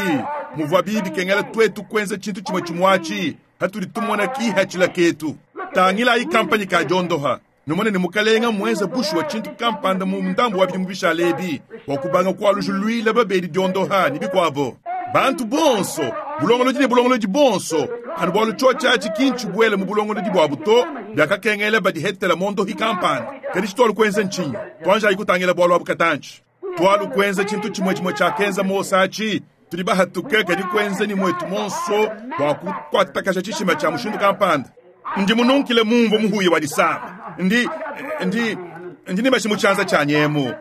muvua bibi kengela twetu kuenza tshintu tshimwe tshimwachi hatudi tumona kihatshila ketu. Tangilayi kampanyi ka diondoha numone ne mukalenga mwenza bushuwa tshintu kampanda mu ndambu wa bidimu bishalebi bua kubanga kualujuluila babedi diondoha ne bikwabo. Bantu bonso bulongolodi ne bulongolodi bonso anu bualu tshotshatshi kinchi buele mu bulongolodi bwabu to biakakengela badihetela mondohi kampanda. Kadi tshitwalu kuenza ntshinyi? Twanjayi kutangila bualu abu katantshi. Twalu kuenza tshintu tshimwe tshimwe tshiakenza Mose atshi. Tudi bahatuke kadi kuenza ni mwetu monso bua kukuatakasha tshishima tshia mushindu kampanda. Ndi mununkile mumvu muhuye wa disama. Ndi, ndi, ndi nibashi mu tshianza tshia nyemu.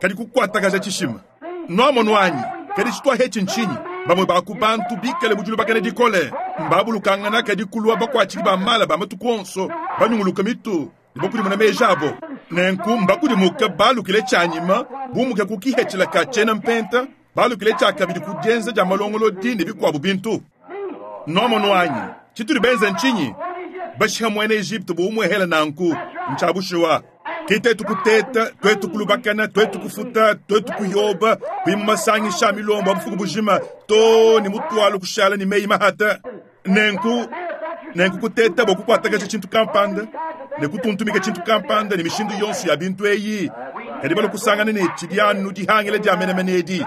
Kadi kukuatakasha tshishima. Nwamonu anyi, kadi tshitwa hetshi ntshinyi? Bamwe ba ku bantu bikale mu dilubakana dikole. Mbabulukangana kadi kulwa bakuatshiki ba mala ba matuku onso, banyunguluka mitu, ne bakudimuna meji abo. Nenku mbakudimuka balukile tshianyima, bumuke ku kihetshila ka tshiena mpenta, balukile tshia kabidi ku dienza dia malongolodi ne bikuabu bintu. Nwamonu anyi, tshitudi benza ntshinyi? Bashiha muena Egypte bu umuehela nanku, ntshia bushuwa. Ki tetu kuteta, twetu kulubakana, twetu kufuta, twetu kuyoba, kuima masangisha milombo abufuku bujima, to ne mutwalo kushala ne meyi mahata. Nenku, nenku kuteta bua kukuatakasha tshintu kampanda, ne kutuntumika tshintu kampanda ne mishindu yonso ya bintu eyi. Kadi balu kusangana ne tshidi anu dihangila dia menemene edi.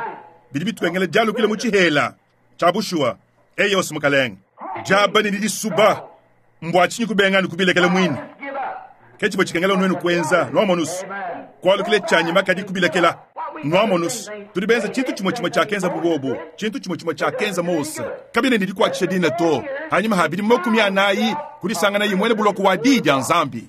Bidi bituengela dialukile mu tshihela. Tshia bushuwa, eyi yonso mukalenge. Diaba ne didisuba, mbua tshinyi kubenga ne kubilekela muine.
Give up.
Ke tshivua tshikengela nuenu kuenza, nwamonusu. Kualukile tshianyima kadi kubilekela. Nwamonusu, tudi benza tshintu tshimwe tshimwe tshiakenza bubobo, tshintu tshimwe tshimwe tshiakenza Mose. Kabine ne dikuatshisha dina to. Hanyuma ha bidimu 40 kudisangana imwene buloko wa di dia Nzambi.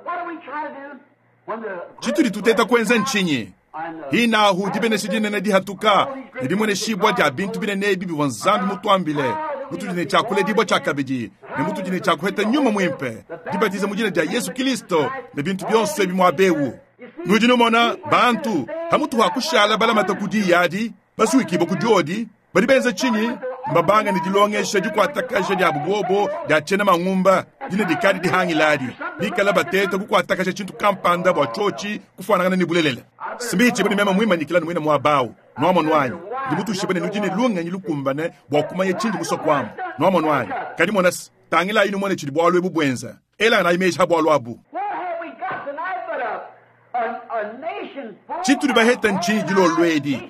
What do we try to do when the
Tshitudi tuteta kuenza ntshinyi?
and the
Hinahu dibenesha dinene dihatuka, ne dimueneshibua dia bintu binene ebi bivua Nzambi mutuambile. Mutudi ne tshiakuledibua tshia kabidi, ne mutudi ne tshiakuheta nyuma muimpe, dibatiza mu dina dia Yesu Kristo, ne bintu bionso ebi muabewu. Nudi numona bantu hamutu hakushala balamata ku diyadi, basuikibwa ku diodi, badi benza tshinyi? Mbabanga ne dilongesha dikuatakasha dia bubobo dia tshiena mangumba, dina dikadi dihangiladi. Bikala bateta kukuatakasha tshintu kampanda bua tshiotshi kufuanangana ne bulelela. Simbichi bane mema mwimanyikila ne mwina mwabawu. Nwamonu anyi, ndi mutushibane nudi ne lungenyi lukumbane bua kumanya tshindi musokwamu. Nwamonu anyi, kadi mona se, tangila inu mwene tshidi bualu ebu buenza. Ela na imeji ha bualu abu.
What have we got tonight but a nation full
Tshitudi baheta ntshinyi dilolwedi?
of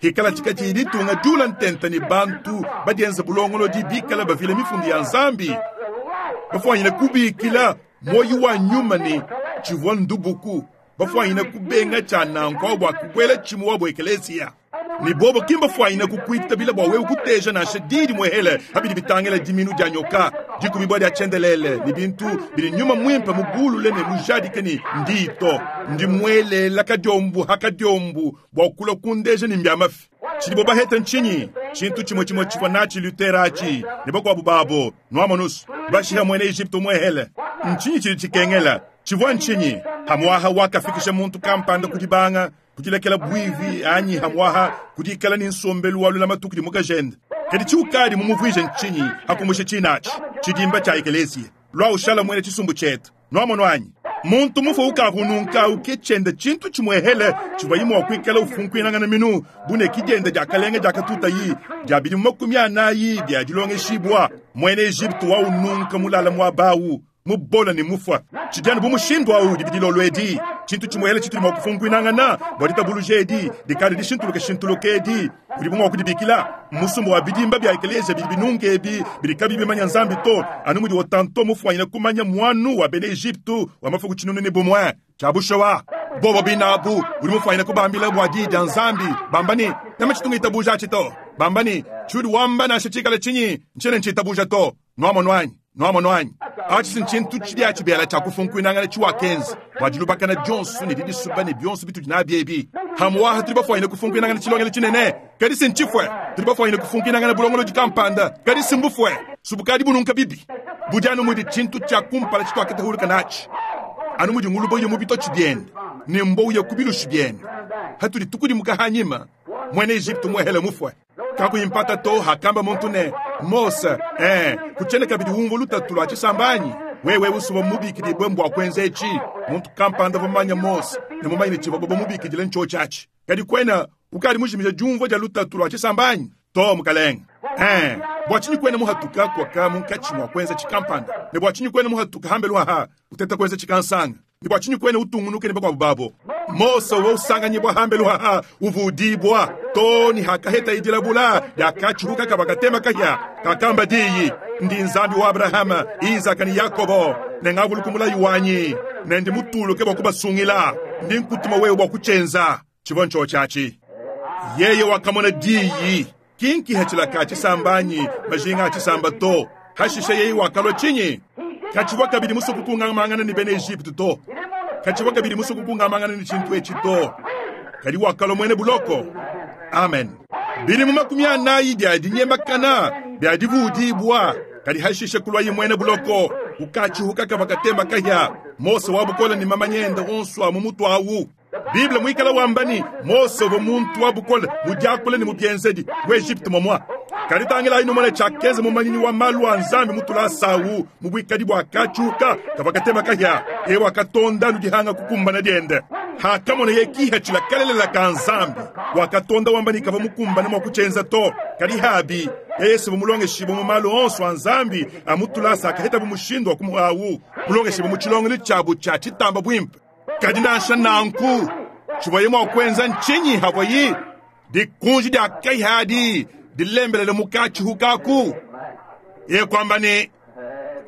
Hikala tshikati ditunga diula ntenta ne bantu badienza bulongolodi bikala bavile mifundi ya Nzambi.
the light
Bafuanyine kubikila moyi wa nyuma ne tshivua ndubuku. Bafuanyine kubenga tshia nanku bua kubuela tshimu wa bua ekeleziya. Ne bobo ki mbafuanyine kukuitabila bua wewe kuteja nansha didi muehele habidi bitangila diminu dia nyoka, dikubibua dia tshiendelele, ne bintu bidi nyuma muimpe mubulule ne mujadike ne ndito. Ndi muelela kadiombu ha kadiombu bua kulua kundeja ne mbia mafi. Tshidi bo baheta ntshinyi? Tshintu tshimwe tshimwe tshivua natshi Luther atshi, ne bakuabu babo, nwamonusu, bashiha muena Egypte muehele. Ntshinyi tshidi tshikengela? Tshivua ntshinyi? Hamwaha wakafikisha muntu kampanda kudibanga, kudilekela buivi anyi hamwaha kudikala ne nsombelu wa lulama tukudi mukajende. Kadi tshiukadi mumuvuije ntshinyi hakumusha tshinatshi, tshidimba tshia ekeleziya. Lua ushala muena tshisumbu tshietu. Nwamonu anyi? Muntu mufue ukavua ununka au ke tshiende tshintu tshimuehele tshivuaye mua kuikala ufunkuinangana minu bu ne ki diende diakalenga diakatutayi dia bidimu 40 bia dilongeshibua. Muena Ejipitu wa ununka mulala muaba au, mubola ne mufua. Tshidi anu bu mushindu au udi dilolo edi, tshintu tshimuehele tshitudi mua kufunkuinangana bua ditabuluja edi dikale dishintuluke-shintuluke edi, udibu mua kudibikila musumba wa bidimba bia ekeleziya bidi binunke ebi bidi kabiyi bimanya Nzambi to, anu mudi Otanto mufuanyine kumanya muanu wa bena Ejipitu wa mafuku 1001. Tshia bushuwa, bobo binabu udi mufuanyine kubambila bua diyi dia Nzambi, bamba ne, Meme tshitu ngitabuja atshi to. Bamba ne, Tshiudi wamba nansha tshikale tshinyi, ntshiena ntshitabuja to. Nuamonu anyi? Nuamonu anyi? Atshi si ntshintu tshidia tshibela tshia kufunkuinangana tshiwakenza bua dilubakana dionso ne didisuba ne bionso bitudi nabi ebi. Hamuaha tudi bafuanyine kufunkuinangana tshilongelo tshinene, kadi si ntshifue. Tudi bafuanyine kufunkuinangana bulongolodi kampanda, kadi si mbufue. Subukadi bununka bibi. Budi anu mudi tshintu tshia kumpala tshituakatahuluka natshi, anu mudi nguluba uya mu bitotshi biende ne mbua uya ku bilushi biende. Hatudi tukudimuka hanyima, muena Ejipitu muehele mufue. Kakuyi mpata to, hakamba muntu ne, Mose, eh, kutshiena kabidi umvua lutatu lua tshisamba anyi? Wewe usuvua mubikidibue mbua kuenza etshi. Muntu kampanda uvua mumanye Mose ne mumanye ne tshivua bamubikidile ntshiotshi atshi. Kadi kuena ukadi mujimija diumvua dia lutatu lua tshisamba anyi? To, mukalenge. Eh, bua tshinyi kuena muhatuka kuaka munkatshi mua kuenza tshikampanda? Ne bua tshinyi kuena muhatuka hambelu aha uteta kuenza tshikansanga? Ne bua tshinyi kuena utungunuke ne bakuabu babo? Mose uvua usanganyibua hambelu haha uvudibua to ne hakahetaye dilabula diakatshihuka kavua katema kahia kakamba diyi, Ndi Nzambi wa Abrahama, Izaka ne Yakobo, ne ngavuluka mulayi wanyi, ne ndi mutuluke bua kubasungila. Ndi nkutuma wewe bua kutshienza. Tshivua ntshiotshi atshi. Yeye wakamona diyi, ki nkihatshila ka tshisamba anyi majinga a tshisamba to. Hashishe yeye wakalua tshinyi? Katshivua kabidi musue kukungamangana ne bena Ejipitu to. Katshivua kabidi musue kukungamangana ne tshintu etshi to. Kadi wakalua muena buloko. Amen. Bidimu 40 bia dinyemakana bia divuudibua, kadi hashishe kuluaye muena buloko. Ukatshihuka kavua katemba kahia. Mose wa bukole ne mamanya ende onso a mu mutu awu. Bible muikala wamba ne, Mose uvua muntu wa bukole mu diakula ne mu bienzedi mu Ejipitu momua. Kadi tangilayi numone tshiakenza mumanyinyi wa malu a Nzambi mu tulasa awu mu buikadi bua katshiuka kavua katema kahia. Yeye wakatonda anu dihanga kukumbana diende. Hakamoneye kihatshila kalelela ka Nzambi, wakatonda wamba ne kavua mukumbane mua kutshienza to. Kadi habi, yeye si mulongeshibue mu malu onso a Nzambi a mu tulasa akahetabu mushindu wa kumuhawu mulongeshibue mu tshilongelu tshiabu tshia tshitamba buimpe. Kadi nansha nanku, tshivuaye mua kuenza ntshinyi havuaye dikunji dia kahia adi dilembelele mu katshihu kaku? Yeye kuamba ne,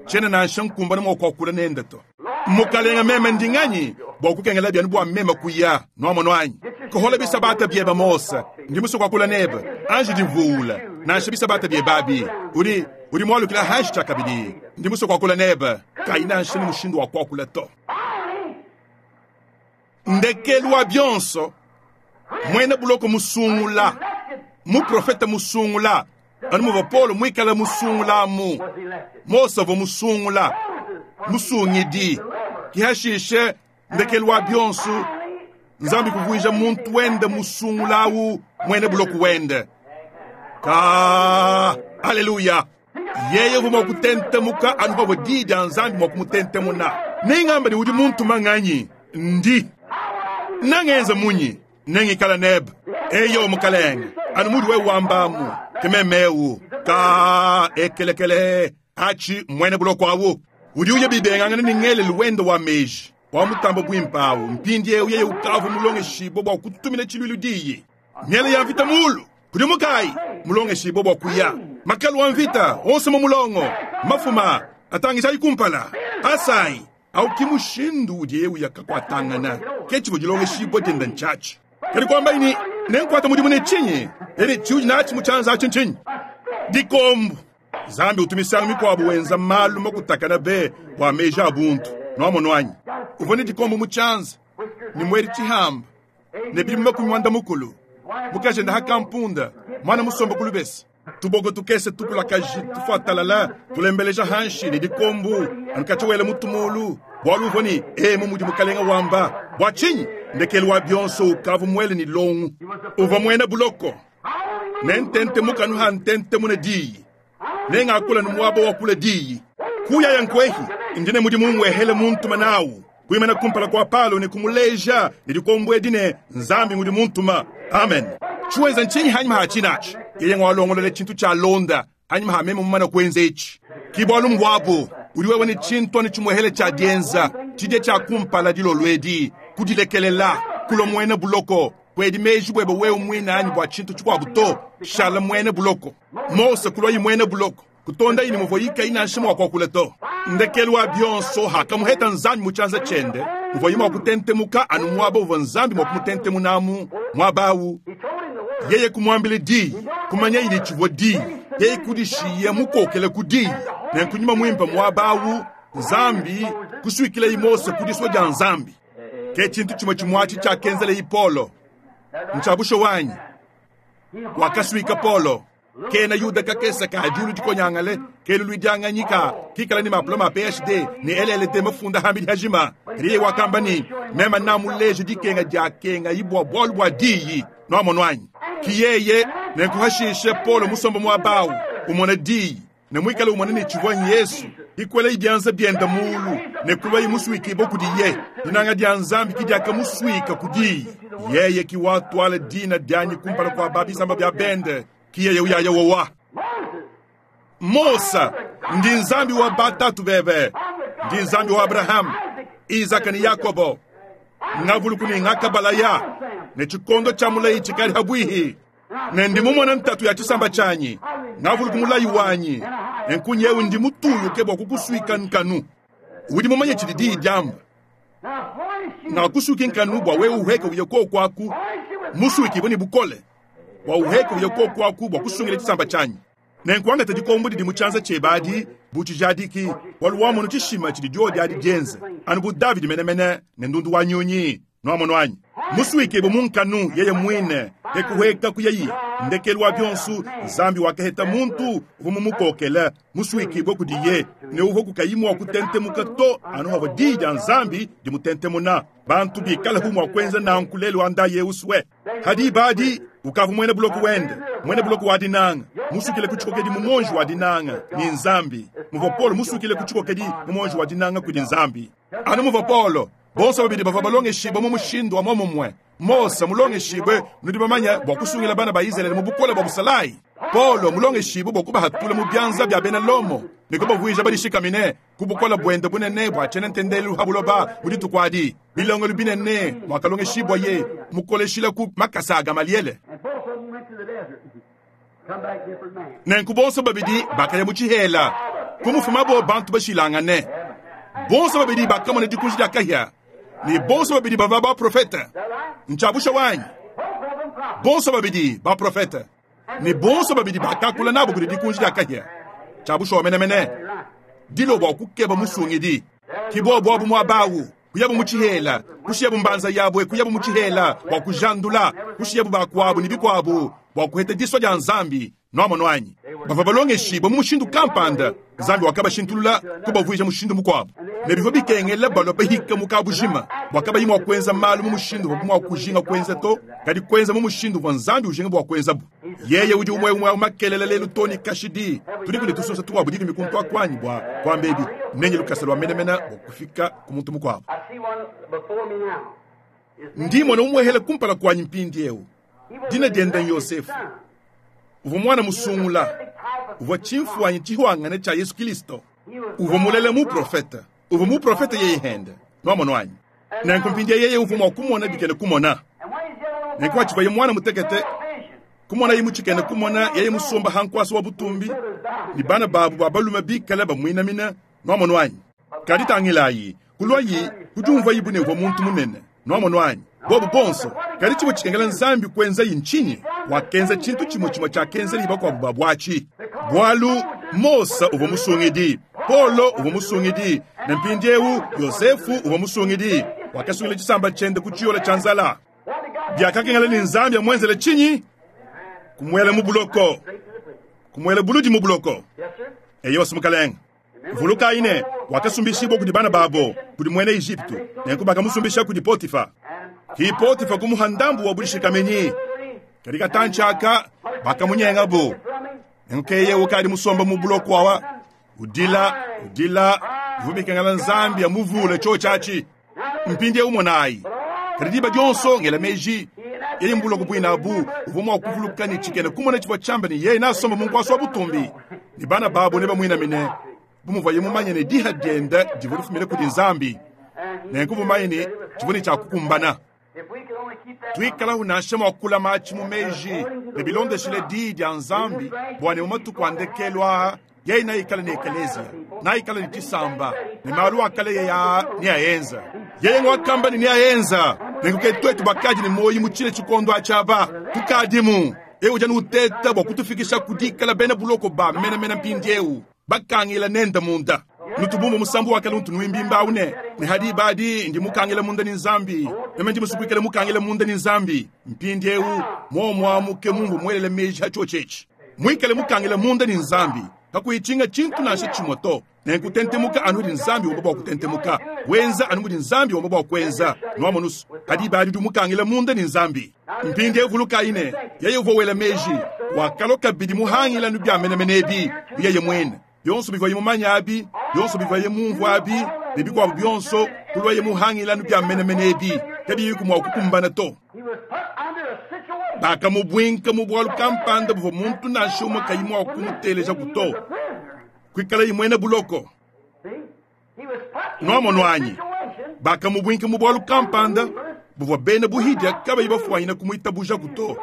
tshiena nansha nkumbana mua kuakula nende to. Mukalenga, meme ndi nganyi bua kukengela bianu bua meme kuya? Nuamonu anyi? Kohola bisabata biebe Mose, ndi musue kuakula nebe. Anji divuula nansha bisabata biebe abi. Udi udi mualukila hanshi tshiakabidi. Ndi musue kuakula nebe, kayi nansha ne mushindu wa kuakula to. Ndekelu wa bionso, muena buloko musungula, muprofete musungula, anu muvua Paulo muikale musungulamu, Mose uvua musungula, musungidi. Ki hashishe ndekelu wa bionso, Nzambi kuvuija muntu wende musungula awu muena buloko wende. Ka haleluya! Yeye uvua mua kutentemuka anu pavua diyi dia Nzambi mua kumutentemuna. Nengamba ne udi muntuma nganyi? Ndi nangenza munyi? Nengikala nebe. Eyo mukalenge, anu mudi wewe wambamu, ke meme eu. Ka ekelekele atshi muena buloko awu udi uya bibengangana ne ngelelu wende wa meji wa mutamba buimpe awu. Mpindieu yeye ukavua mulongeshibue bua kutumina tshiluilu diyi. Miele ya mvita mulu kudimukayi, mulongeshibue bua kuya makalu a mvita onso mu mulongo, mafuma atangijayi kumpala, asayi au ki mushindu udiye uya kakuatangana. Ke tshivua dilongeshibua diende ntshiatshi. Kadi kuambayi ne, nenkuata mudimu ne tshinyi? Ene tshiudi natshi mu tshianza atshi ntshinyi? Dikombu. Nzambi utu misangu mikuabu wenza malu makutakana be bua meji a buntu. Nuamonu anyi? Uvua ne dikombu mu tshianza ne muedi tshihamba ne bidimu 80, mukajende hakampunda mwana musomba ku lubese. Tuboko tukese tukulakaji tufuatalala tulembeleja hanshi ne dikombu anu katshia wela mutu mulu, bualu uvua ne emu mudi mukalenga wamba. Bua tshinyi? Ndekelu wa bionso ukavua muele ne longu. Uvua muena buloko ne ntentemuka anu ha ntentemuna diyi, nengakula ne muaba wa kula diyi. Kuyaya nkwehi, ndi ne mudimu ngwehele muntuma nawu. Kuimana kumpala kwa Palo ne kumuleja ne dikombwedi ne Nzambi ngudi muntuma. Amen. Tshiwenza ntshinyi hanyima ha tshinachi? Yeye ngwalongolole tshintu tshia londa hanyima ha meme mumana kuenza etshi. Ki bualu mbuabu udi wewe ne tshintu anu tshimuehele tshia dienza tshidia tshia kumpala dilolo edi, kudilekelela kulua muena buloko. Kuedi meji buebe wewe muine anyi bua tshintu tshikuabu to, shala muena buloko. Mose kuluayi muena buloko, kutondayi ne muvua ikayi nansha mua kuakula to. Ndekelu wa bionso hakamuheta Nzambi mu tshianza tshiende, uvuaye mua kutentemuka anu muaba uvua Nzambi mua kumutentemunamu, muaba awu. Yeye kumuambila diyi, kumanyayi ne tshivua diyi, yeye kudishiya mukokele ku diyi. Nenku nyuma muimpe muaba awu, Nzambi kusuikilayi Mose ku disua dia Nzambi. Ke tshintu tshimue tshimuatshi tshiakenzelayi Paulo. Ntshia bushuwa anyi? Wakasuika Paulo. Kena Yuda kakese ka diulu dikonyangale, kelu luidianganyi ka kikala ne mapuloma a PhD ne LLD mafunda hambidi hajima. Kadi yeye wakamba ne, meme namuleje dikenga diakengayi bua bualu bua diyi. Nuamonu anyi? Ki yeye, nenku hashishe Paulo musomba muaba awu, umona diyi, ne muikale umona ne tshivua Yesu, ikuelayi bianza biende muulu ne kuluayi musuikibue kudiye. Dinanga dia Nzambi ki diakamusuika ku diyi. Yeye ki watuala dina dianyi kumpala kua ba bisamba bia bende, ki yeye uyaya wowa. Mose, ndi Nzambi wa batatu bebe, ndi Nzambi wa Abraham, Isaka ne Yakobo. Ngavuluku ne ngakabalaya ne tshikondo tshia mulayi tshikadi habuihi. Ne ndi mumona ntatu ya tshisamba tshianyi, ngavuluku mulayi wanyi, nenku nyewu ndi mutuluke bua kukusuika nkanu. Udi mumanye tshidi diyi diamba, ngakusuiki nkanu bua wewe uheke uye koku aku, musuikibue ne bukole, bua uheke uye koku aku bua kusungila tshisamba tshianyi. Nenku angata dikombo didi mu tshianza tshiebe adi bu tshijadiki, bualu wamonu tshishima tshidi diodi adi dienze, anu bu Davidi menemene ne ndundu wa nyunyi. Nuamonu anyi? Musuikibue mu nkanu yeye muine, ke kuhueka kuyayi. Ndekelu wa bionso, Nzambi wakaheta muntu uvua mumukokele, musuikibue kudiye, ne uvua kukayi mua kutentemuka to anu havua diyi dia Nzambi dimutentemuna. Bantu bikalehu mua kuenza nanku lelu anda yeusue. Hadi badi ukavua muena buloko wende, muena buloko wa dinanga, musukile ku tshikokedi mu monji wa dinanga ni Nzambi. Muvua Paulo musukile ku tshikokedi mu monji wa dinanga kudi Nzambi. Anu muvua Paulo, bonso babidi bavua balongeshibue mu mushindu wa muomumue. Mose mulongeshibue, nudi bamanye, bua kusungila bana ba Izalele mu bukole bua busalayi. Paulo mulongeshibue bua kubahatula mu bianza bia bena Lomo ne kubavuija badishikamine ku bukole buende bunene bua tshiena ntendelu ha buloba mu dituku adi. Bilongelu binene muakalongeshibua mukoleshila ku makasa a Gamaliele. Nenku bonso babidi bakaya mu tshihela, kumufumabo bantu bashilangane. Bonso babidi bakamona dikunji dia kahia, ne bonso babidi bavua baprofete. Ntshiabusha wanyi, bonso babidi baprofete, ne bonso babidi bakakula nabo kudi dikunji dia kahia. Tshiabusha menemene dilo bua kukeba musungidi. Ki bobu abu muaba awu, kuyabu mu tshihela, kushiyabu mbanza yabue, kuyabu mu tshihela bua kujandula, kushiyabu bakuabu ne bikuabu bua kuheta disua dia Nzambi. Nuamonu anyi? Bavua balongeshibue mu mushindu kampanda, Nzambi wakabashintulula kubavuija mushindu mukuabu, ne bivua bikengela balua bahika mu kabujima bua kabayi mua kuenza malu mu mushindu uvuabu mua kujinga kuenza to, kadi kuenza mu mushindu uvua Nzambi ujinga bua kuenzabu. Yeye udi umue umue makelela lelu to ne kashidi. Tudiku ne tusunsa tukuabu dikumi kuntu akuanyi bua kuamba ebi, nenye lukasa lua menemene bua kufika ku muntu mukuabu. Ndi mona umuehele kumpala kuanyi mpindieu. Dina diende Yosefu. Uvua mwana musungula, uvua tshimfuanyi tshihuangane tshia Yesu Kristo. Uvua mulele muprofete, uvua muprofete yeye hende. Nuamonu anyi? Nenku mpindieu yeye uvua mua kumona bikene kumona. Nenku atshivuaye mwana mutekete, kumonaye mu tshikene kumona yeye musomba ha nkuasa wa butumbi, ne bana babu ba balume bikale bamuinamina. Nuamonu anyi? Kadi tangilayi, kuluayi kudiumvayi bu ne uvua muntu munene. Nuamonu anyi? Bobu bonso. Kadi tshivua tshikengela Nzambi kuenzayi ntshinyi? Wakenza tshintu tshimue tshimue tshiakenzelayi bakuabu babu atshi. Bualu Mose uvua musungidi, Paulo uvua musungidi, ne mpindieu Yosefu uvua musungidi. Wakasungila tshisamba tshiende ku tshiyola tshia nzala. Biakakengela ne Nzambi amuenzele tshinyi? Kumuela mu buloko, kumuela buludi mu buloko. Eyo mukalenge. Vulukayi ne, wakasumbishibua kudi bana babo kudi muena Ejipitu, nenku bakamusumbisha kudi Potifa. Ki Potifa kumuha ndambu wa budishikamenyi, kadi katantshi aka bakamunyengabo. Nenku yeye ukadi musomba mu buloko awa, Udila, udila, bivua bikengela Nzambi amuvule tshiotshi atshi. Mpindieu monayi, kadi diba dionso ngela meji, yeye mu buloko buine abu uvua mua kuvuluka ne tshikena kumona tshivua tshiamba ne yeye nasomba mu nkuasa wa butumbi ne bana babo nebamuinamine, bu muvuaye mumanye ne diha diende divua difumine kudi Nzambi, nenku mumanye ne tshivua ne tshia kukumbana. Tuikalahu nansha mua kulama atshi mu meji ne bilondeshile diyi dia Nzambi, bua ne mu matuku a ndekelu aa yeye naikale ne ekeleziya, naikale ne tshisamba, ne malu a kale yeye aa neaenza. Yeye ngwakamba ne neaenza. Nenku ke tuetu bakadi ne muoyo mu tshine tshikondo atshi aba, tukadimu. Eu udi anu uteta bua kutufikisha ku dikala bena buloko ba menemene mpindieu, bakangila nende munda. Nutubumba musambu wa kale untu nuimbimba au ne, ne hadi badi ndi mukangila munda ni Nzambi, meme ndi musukuikale mukangila munda ni Nzambi. Mpindieu muomuamuke mumvu muelele meji ha tshiotshi muikale mukangila munda ni Nzambi, kakuyitshinga tshintu nansha tshimue to. Nenkutentemuka anu mudi Nzambi wamba bua kutentemuka, wenza anu mudi Nzambi wamba bua kuenza. Nuamonusu hadi badi udi mukangila munda ni Nzambi. Mpindieu vulukayi ne yeye uvua wela meji wakalua kabidi muhangila nu bia menemene ebi yeye muene. Bionso bivuaye mumanye abi, bionso bivuaye mumvue abi, ne bikuabu bionso kulwaye muhangila nu bia menemene ebi kabiyiku mua kukumbana to. Bakamubuinka mu bualu kampanda buvua muntu nansha umue kayi mua kumuteleja to, kuikalaye muena buloko. Nuamonu anyi? Bakamubuinka mu bualu kampanda buvua bena buhidia kabayi bafuanyina kumuitabujaku to.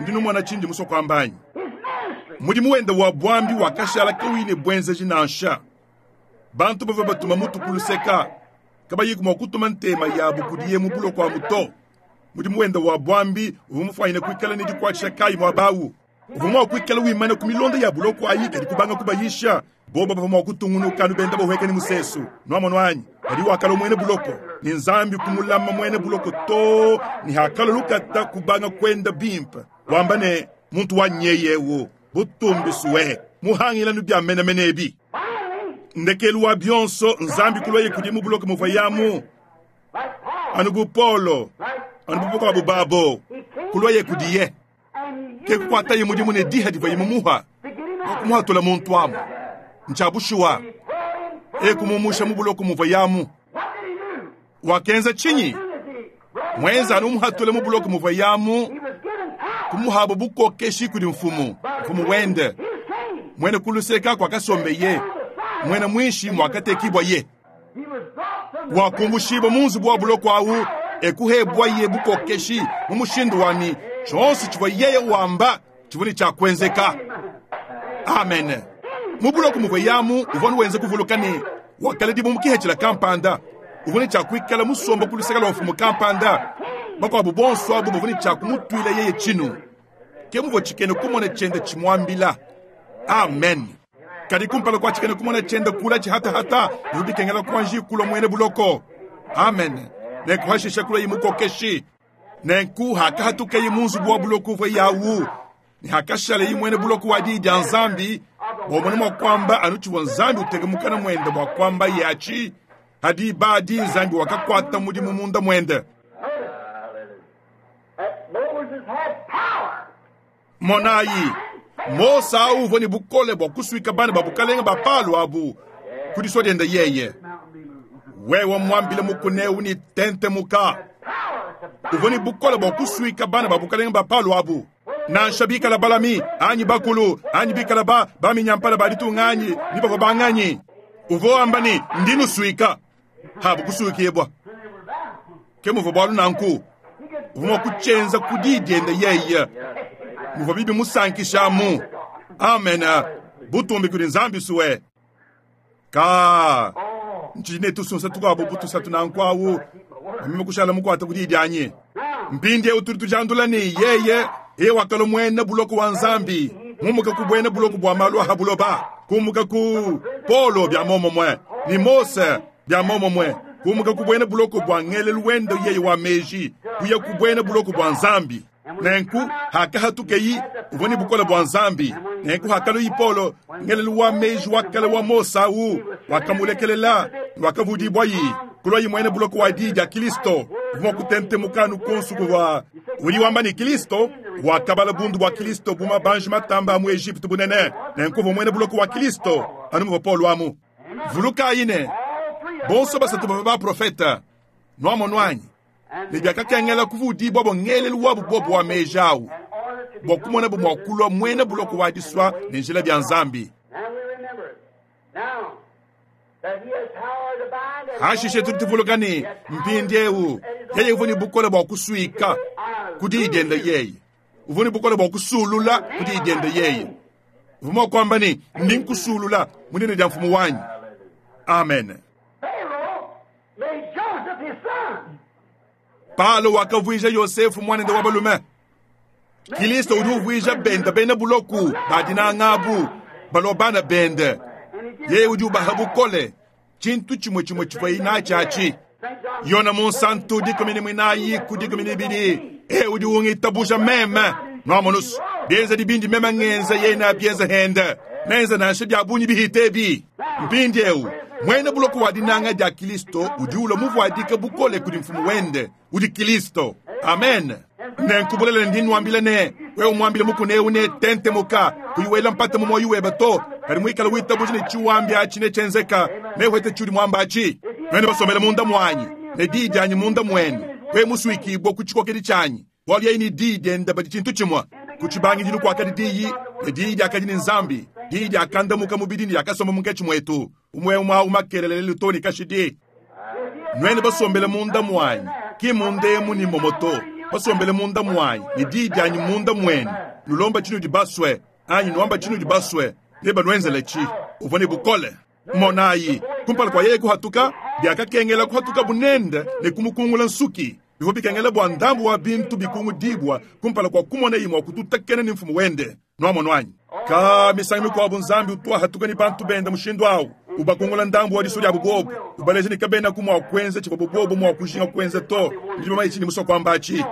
Ndi numona tshindi musue kuamba anyi? Mudimu wende wa buambi wakashala kauyi ne buenzeji nansha. Bantu bavua batuma mutu ku luseka, kabayiku mua kutuma ntema yabu kudiye mu buloko amu to. Mudimu wende wa buambi uvua mufuanyine kuikala ne dikuatshisha kayi muaba awu? Uvua mua kuikala wimana ku milonda ya buloko ayi, kadi kubanga kubayisha. Bobo bavua mua kutungunuka anu benda bahueka ne musesu. Nuamonu anyi? Kadi wakalua muena buloko, ne Nzambi kumulama muena buloko to ne hakalua lukata kubanga kuenda bimpe, wamba ne, muntu wa nyeyewu butumbisue muhangila nu bia menemene ebi. Ndekelu wa bionso Nzambi kulwaye kudi mu buloko muvua yamu, anu bu Paulo, anu bu bakuabu babo, kulwaye kudiye. Ke kukuataye mudimu ne diha divuaye mumuha bua kumuhatula muntu amu. Ntshia bushuwa, e kumumusha mu buloko muvua yamu. Wakenza tshinyi? Mwenza anu umuhatule mu buloko muvua yamu, kumuhabo bukokeshi kudi mfumu, mfumu wende. Mwene kuluseka kwakasombeye, mwene mwinshi mwakatekibwa ye. Wakumbushibwa mu nzubu wa buloko awu, ekuhebwa ye bukokeshi mu mushindu wani tshionso tshivua yeye wamba tshivua ne tshia kuenzeka. Amen. Mu buloko muvua yamu uvua nuwenza kuvuluka ne wakaledibwa mu kihethila kampanda, uvua ne tshia kuikala musomba ku luseka lua mfumu kampanda. Bakuabu bonso abu bavua ne tshia kumutuila yeye tshinu. Ke muvua tshikena kumona tshiende tshimuambila. Amen. Kadi kumpala kua tshikena kumona tshiende kula tshihatahata, bivua bikengela kuanji kulua muena buloko. Amen. Nenku hashisha kulua mukokeshi. Nenku hakahatukaye mu nzubu wa buloko uvua yawu, ne hakashalaye muena buloko wa diyi dia Nzambi, bua mua kuamba anu tshivua Nzambi uteka mukana muende bua kuamba yatshi, hadi badi Nzambi wakakuata mudimu munda muende.
Moses had power.
Monayi, Mose awu uvua ne bukole bua kusuika bana ba bukalenge ba Palo abu ku disua diende yeye. Wewe muambile mukuna eu ne tentemuka. Uvua ne bukole bua kusuika bana ba bukalenge ba Palo abu. Nansha bikala balami anyi bakulu anyi bikala ba baminyampala ba ditunga anyi ni bavua banganyi. Uvua wamba ne ndi nusuika, habu kusuikibwa. Ke muvua bualu nanku, uvua mua kutshienza ku diyi diende yeye. Muvua bibi musankishamu. Amen. Butumbi kudi Nzambi suwe. Ka ntshidi ne tusunsa tukuabu butusatu nanku awu, meme kushala mukuata ku diyi dianyi. Mpindieu tudi tujandula ne yeye yeye wakalua muena buloko wa Nzambi, mumuka ku buena buloko bua malu aha buloba, kumuka ku Paulo bia momomue ni Mose bia momomue, kumuka ku buena buloko bua ngelelu wende yeye wa meji, kuya ku buena buloko bua Nzambi. Nenku hakahatukeyi uvua ne bukole bua Nzambi. Nenku hakaluyi Paulo ngelelu wa meji wa kale wa Mose awu wakamulekelela, wakavudibwayi kulwayi muena buloko wa diyi dia Kristo. Uvua mua kutentemuka anu konsu kuvua udi wamba ne Kristo. Wakabala bundu bua Kilisto bu mabanji matamba a mu Ejipitu bunene, nenku uvua muena buloko wa Kilisto, anu muvua Paulo amu. Vulukayi ne, bonso basatu bavua baprofete, nuamonu anyi? Ne biakakengela kuvudibuabo ngelelu wabu bobu wa meji awu bua kumonabu mua kulua muena buloko wa disua ne njila bia Nzambi. Hashishe tudi tuvuluka ne, mpindieu yeye uvua ne bukole bua kusuika ku diyi diende yeye, uvua ne bukole bua kusulula ku diyi diende yeye. Uvua mua kuamba ne, ndi nkusulula mu dina dia mfumu wanyi. Amen. Palo wakavuija Yosefu muanende wa balume. Kilisto udi uvuija bende bena buloku ba dinanga abu balua bana bende. Yeye udi ubaha bukole, tshintu tshimue tshimue tshivua natshi atshi. Yona Munsantu 14 ku 12, e udi ungitabuja meme nuamonusu bienza dibindi meme ngenza yena bienza hende nenza nansha bia bungi bihite mpindieu muena buloko wa dinanga dia Kilisto udi ulua muvuadika bukole kudi mfumu wende udi Kilisto. Amen. Nenkubulela ndi nwambila ne wewe mwambile mukune eu ne tentemuka kuyiwela mpata mu moyo webe to kadi mwikala witabuja ne chiwambi achi ne chenzeka ne wete chudi mwamba achi mwene basomela munda mwanyi ne diyi dianyi munda mwenu we musuikibwa ku tshikokedi tshianyi bualu yeye ni diyi diende badi tshintu tshimue ku tshibangidilu kuakadi diyi ne diyi diakadi ne Nzambi diyi diakandamuka mubidi ne diakasomba munkatshi muetu umwe umwe awu makelele lelo ne kashidi nwene basombele munda mwanyi ki munda emu ni momoto basombele munda mwanyi ne diyi dianyi munda mwenu nulomba tshinudi basue anyi nuamba tshinudi basue ne banuenzele tshi uvua ne bukole monayi kumpala kua yeye kuhatuka biakakengela kuhatuka bunende ne kumukungula nsuki bivua bikengela bua ndambu wa bintu bikungudibwa kumpala kua kumona imua kututakena ne mfumu wende nuamono anyi ka misangu mikuabu Nzambi utwahatuka ni bantu bende mushindu awu ubakungula ndambu wa diso diabu bobu ubaleja ne kabena ku mua kuenza tshivua bobu mua kujinga kuenza to ndi mama ichi ni musua kuamba atshi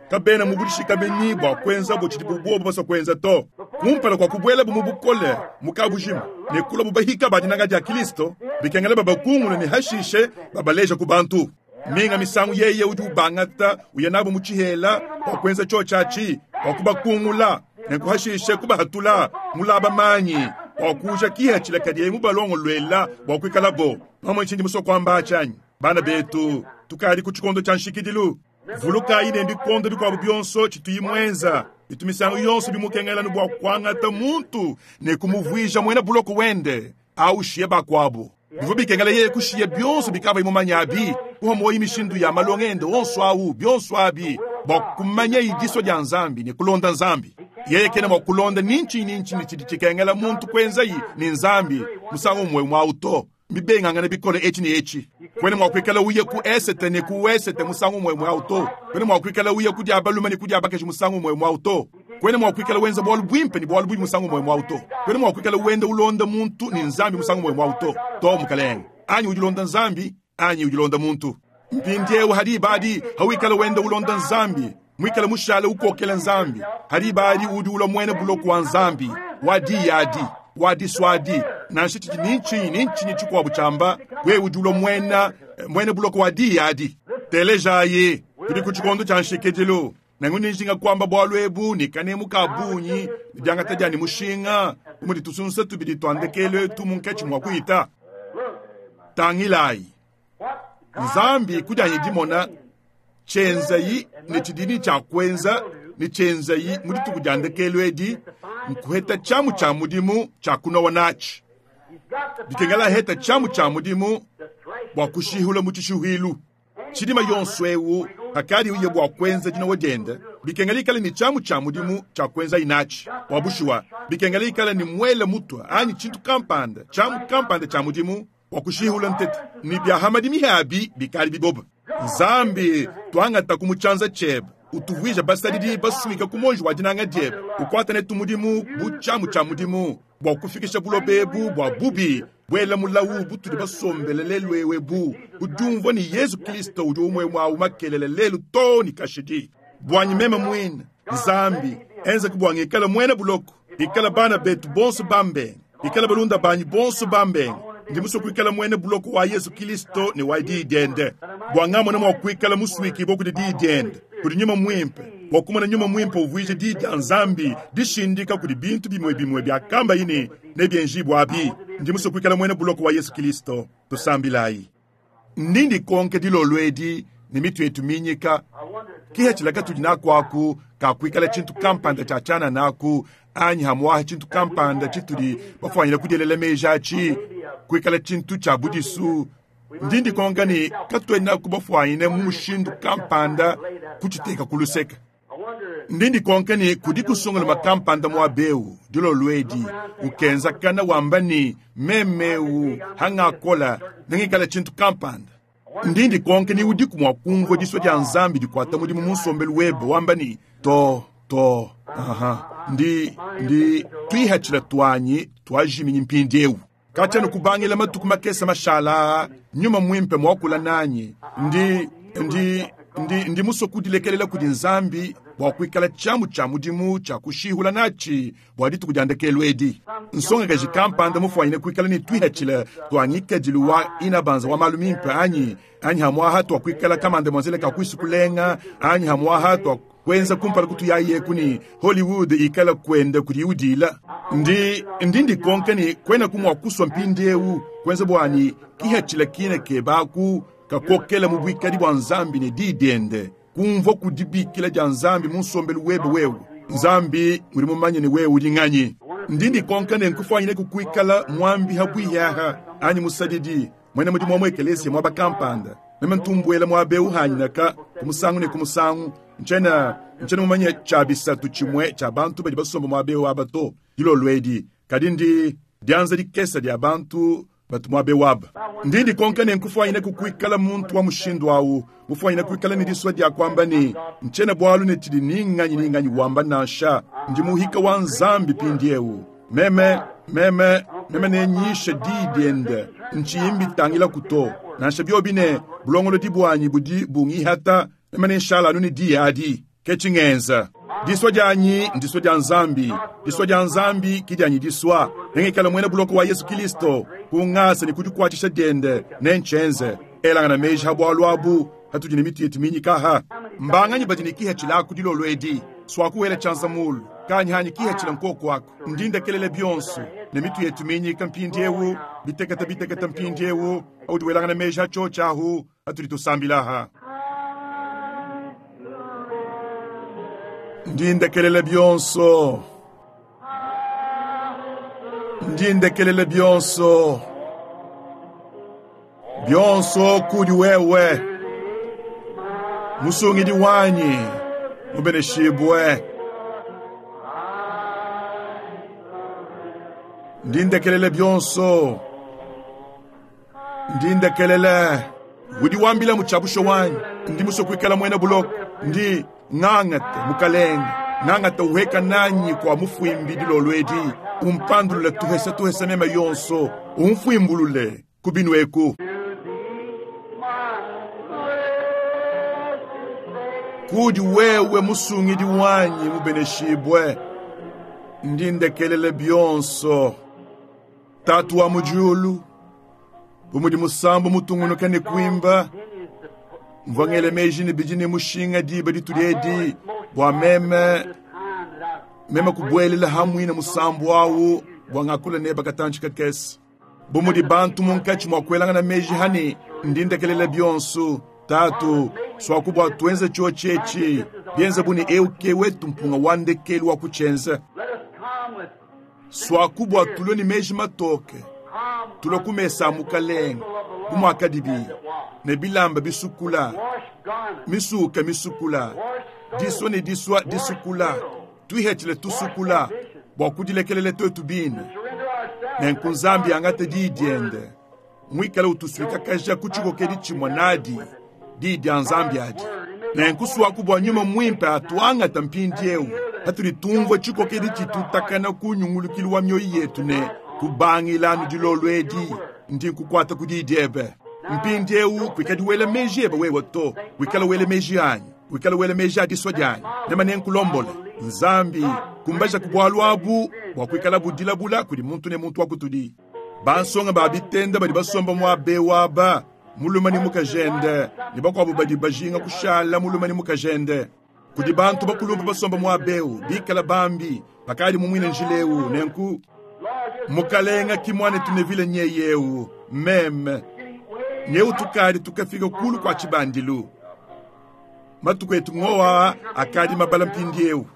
kabena mubudishikamenyi bua kuenza bo tshidi bobu basua kuenza to kumpala kua kubuela bu mu bukole mu kabujima ne kula bubahika ba dinanga dia Kilisto bikengela babakungula ne hashishe babaleja ku bantu minga misangu yeye udi ubangata uya nabo mu tshihela bua kuenza tshio tshiatshi bua kubakungula ne kuhashishe kubahatula mulaba manyi bua kuja kihatshila kadi mubalongolwela bua kuikalabo pamwe nchindi musua kuamba atshi bana betu tukadi ku tshikondo tshia nshikidilu vulukayi ne bikondo bikuabu bionso tshituyi mwenza bitu misangu yonso bimukengelanu bua kuangata muntu ne kumuvuija muena buloko wende aushiye bakuabu bivua bikengela yeye kushiya bionso bikava mumanya abi kuha moyi mishindu ya malonga ende onso awu bionso abi bua kumanya idiso dia Nzambi ne kulonda Nzambi yeye kena mua kulonda ninchi ninchi tshidi tshikengela muntu kuenzayi ne Nzambi musangu umwe mwa to mibengangana bikole echi ne echi kwene mua kuikala uye ku esete ne ku wesete musangu umwe mwa to kwene mua kuikala uye ku dia balume ne ku dia bakaji musangu umwe mwa to kwene mua kuikala wenza bwalu bwimpe ne bwalu bwi musangu umwe mwa to kwene mua kuikala wenda ulonda muntu ne Nzambi musangu umwe mwa to to mukalenge anyi udi Nzambi anyi udi muntu mpindieu hadi badi hawikala wenda ulonda Nzambi mwikala mushala ukokela Nzambi hadi badi udi ulwa mwene buloko wa Nzambi wadi yadi wadi swadi nansha tshidi ninchi ninchi tshikuabu tshamba we udi ulwa mwene buloko wa di yadi telejayi tudi ku tshikondo tshia nshikidilu nangu ninjinga kuamba bwalu ebu ni kanemu ka bunyi diangata dia ni mushinga umudi tusunsa tubidi twandekele tu munkatshi mua kuita tangilayi Nzambi kudianyi dimona tshenzai ne tshidini tshia kuenza ne tshenzai mu dituku dia ndekelu edi nkuheta tshiamu tshia mudimu tshia kunowa natshi bikengela heta tshiamu tshia mudimu bua kushihula mu tshishuhilu tshidima yonso ewu hakadi uye bua kuenza dinowa diende bikengela ikale ne tshiamu tshia mudimu tshia kuenza inatshi bua bushuwa bikengela ikale ne mwele mutwa anyi tshintu kampanda tshiamu kampanda tshia mudimu bua kushihula ntete ni bia hamadi mihabi bikali biboba Nzambi twangata ku mutshanza tshebe utuvuija basadidi basuika ku monji wa dinanga diebe ukwata netu mudimu bu tshiamu tshia mudimu bua kufikisha buloba ebu bua bubi bwela mulawu butudi basombele lelu ewe bu udiumvua ni Yesu Kristo udi umwe mwawu makelele lelu to ni kashidi bwanyi meme mwine Nzambi enza kubwanga ikala mwene buloko ikala bana betu bonso bambenga ikala balunda banyi bonso bambenga ndi musue kuikala mwene buloko wa Yesu Kristo ne wa diyi diende bwanga mona mua kuikala musuikibwa kudi diyi diende kudi nyuma mwimpe Bua kumona Nyuma Muimpe uvuija Diyi dia Nzambi dishindika kudi bintu bimue bimue biakambaye ne nebienjibue abi. Ndi musue kuikala muena buloko wa Yesu Kilisto. Tusambilayi. Ndi ndikonka dilolo edi ne mitu yetu minyika, kihatshila katudi naku aku ka kuikala tshintu kampanda tshia tshianana aku, anyi hamuaha tshintu kampanda tshitudi bafuanyile kudielela meji atshi kuikala tshintu tshia budisu. Ndi ndikonka ne katuenaku bafuanyine mu mushindu kampanda kutshiteka ku luseke. Ndi ndikonka ne kudi kusunguluma kampanda muaba eu dilolo edi ukenzakana wamba ne meme eu hangakola nengikala tshintu kampanda. Ndi ndikonka ne udiku mua kumvua disua dia Nzambi dikuata mudimu mu nsombelu webe wamba ne to to aha ndi ndi tuihatshila tuanyi tuajiminyi mpindieu. Katshia kubangila matuku makese mashala Nyuma Muimpe muakula nanyi. Ndi ndi ndi ndi musue kudilekelela kudi Nzambi bua kuikala tshiamu tshia mudimu tshia kushihula natshi bua dituku dia ndekelu edi. Nsongakaji kampanda mufuanyine kuikala ne tuihatshila tua ngikadilu wa inabanza wa malu mimpe anyi anyi hamuaha tua kuikala kamanda muanzele ka kuisu kulenga anyi hamuaha tua kuenza kumpala kutuyayeku ni Hollywood ikala kwenda kudi udila. Ndi ndi ndikonka ne kwena kumua kusua mpindieu kuenza buani kihatshila kina kebaku kakokela mu buikadi bua Nzambi ne diyi diende kumvua kudibikila dia Nzambi mu nsombelu webe wewe. Nzambi udi mumanye ne wewe udi nganyi. Ndi ndikonka ne nkufuanyine kukuikala muambi habwiyaha anyi musadidi mwena mudimu wa mu ekelesia muaba kampanda. Meme ntumbuela muaba eu hanyinaka ku musangu ne ku musangu. Ntshiena ntshiena mumanye tshia bisatu tshimue tshia bantu badi basomba muaba eu aba to dilolo edi, kadi ndi dianza dikese dia bantu batu muaba eu aba. Ndi ndikonka ne nkufuanyine kukuikala muntu wa mushindu au, mufuanyine kuikala ne disua dia kuamba ne ntshiena bualu ne tshidi ni nganyi ni nganyi wamba nansha. Ndi muhika wa Nzambi mpindieu. Meme meme meme nenyishe diyi diende, ntshiyi mbitangilaku to. Nansha biobi ne bulongolodi buanyi budi bungihata, meme nenshala anu ne diyi adi. Ke tshingenza. Disua dianyi ndisua dia Nzambi, disua dia Nzambi ki dianyi disua. Nengikale muena buloko wa Yesu Kilisto ku ngasa ne ku dikuatshisha diende, nentshienze. Elangana meji ha bualu abu hatudi ne mitu yetu minyikaha. Mbanganyi badi ne kihatshila aku dilolo edi? Suakuwela tshianza mulu kanyi hanyi kihatshila nkoku aku. Ndi ndekelela bionso ne mitu yetu minyika mpindieu, bitekete bitekete mpindieu. Audi welangana meji ha tshiotshi ahu hatudi tusambilaha. Ndi ndekelela bionso, ndi ndekelela bionso, bionso kudi wewe, musungidi wanyi mubeneshibue. Ndi ndekelela bionso, ndi ndekelela. Udi wambila mu tshiabusho wanyi, ndi musue kuikala muena buloko. Ndi ngangate mukalenge, ngangate uheka nanyi kua mufuimbi dilolo edi, umpandulule tuhesa tuhesa mema yonso, umfuimbulule ku binu eku. Kudi wewe musungidi wanyi mubeneshibue, ndi ndekelela bionso. Tatu wa mu diulu, bu mudi musambu mutungunuka ne kuimba, mvua ngela meji ne bidi ne mushinga diba ditudi edi bua meme meme kubuelela hamuine musambu awu bua ngakula neba katantshi kakese. Bu mudi bantu munkatshi mua kuelangana meji hani ndi ndekelela bionso. Tatu, suaku bua tuenze tshiotshi etshi, bienze bu ne eu ke wetu mpunga wa ndekelu wa kutshienza. Suaku bua tulue ne meji matoke, tulue ku mesa a mukalenge bu muakadibi ne bilamba bisukula, misuka misukula, disua ne disua disukula, tuihetshile tusukula bua kudilekelela tuetu bine. Nenku Nzambi angate diyi diende, muikale utusuikakaja ku tshikokedi tshimue nadi, diyi dia Nzambi adi. Nenku suaku bua Nyuma Muimpe atuangata mpindieu patudi tumvua tshikokedi tshitutakana ku nyungulukilu wa mioyo yetu ne kubangila anu dilolo edi, ndi nkukuata ku diyi diebe. Mpindieu kuikadi wela meji ebe wewe to, wikala wela meji anyi, wikala wela meji a disua dianyi, meme nenkulombole. Nzambi, kumbaja ku bualu abu bua kuikala budilabula kudi muntu ne muntu wa kutudi. Bansonga ba bitenda badi basomba muaba eu aba, mulume ne mukajende, ne bakuabu badi bajinga kushala mulume ne mukajende. Kudi bantu bakulumpa basomba muaba eu, bikala bambi, bakadi mu muine njila eu, nenku mukalenga ki muanetu Neville nyeye eu, meme nyeu tukadi tukafika kulu kua tshibandilu. Matuku etu ngowa akadi mabala mpindieu.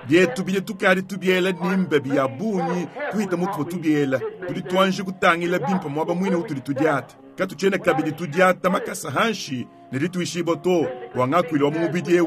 Bietu bidi tukadi tubiela ni mbebi ya bungi kuhita mutu tubiela. Tudi tuanji kutangila bimpe muaba muine utudi tudiata. Katutshiena kabidi tudiata makasa hanshi ne dituishibua to bua ngakuilu wa mu mubidi eu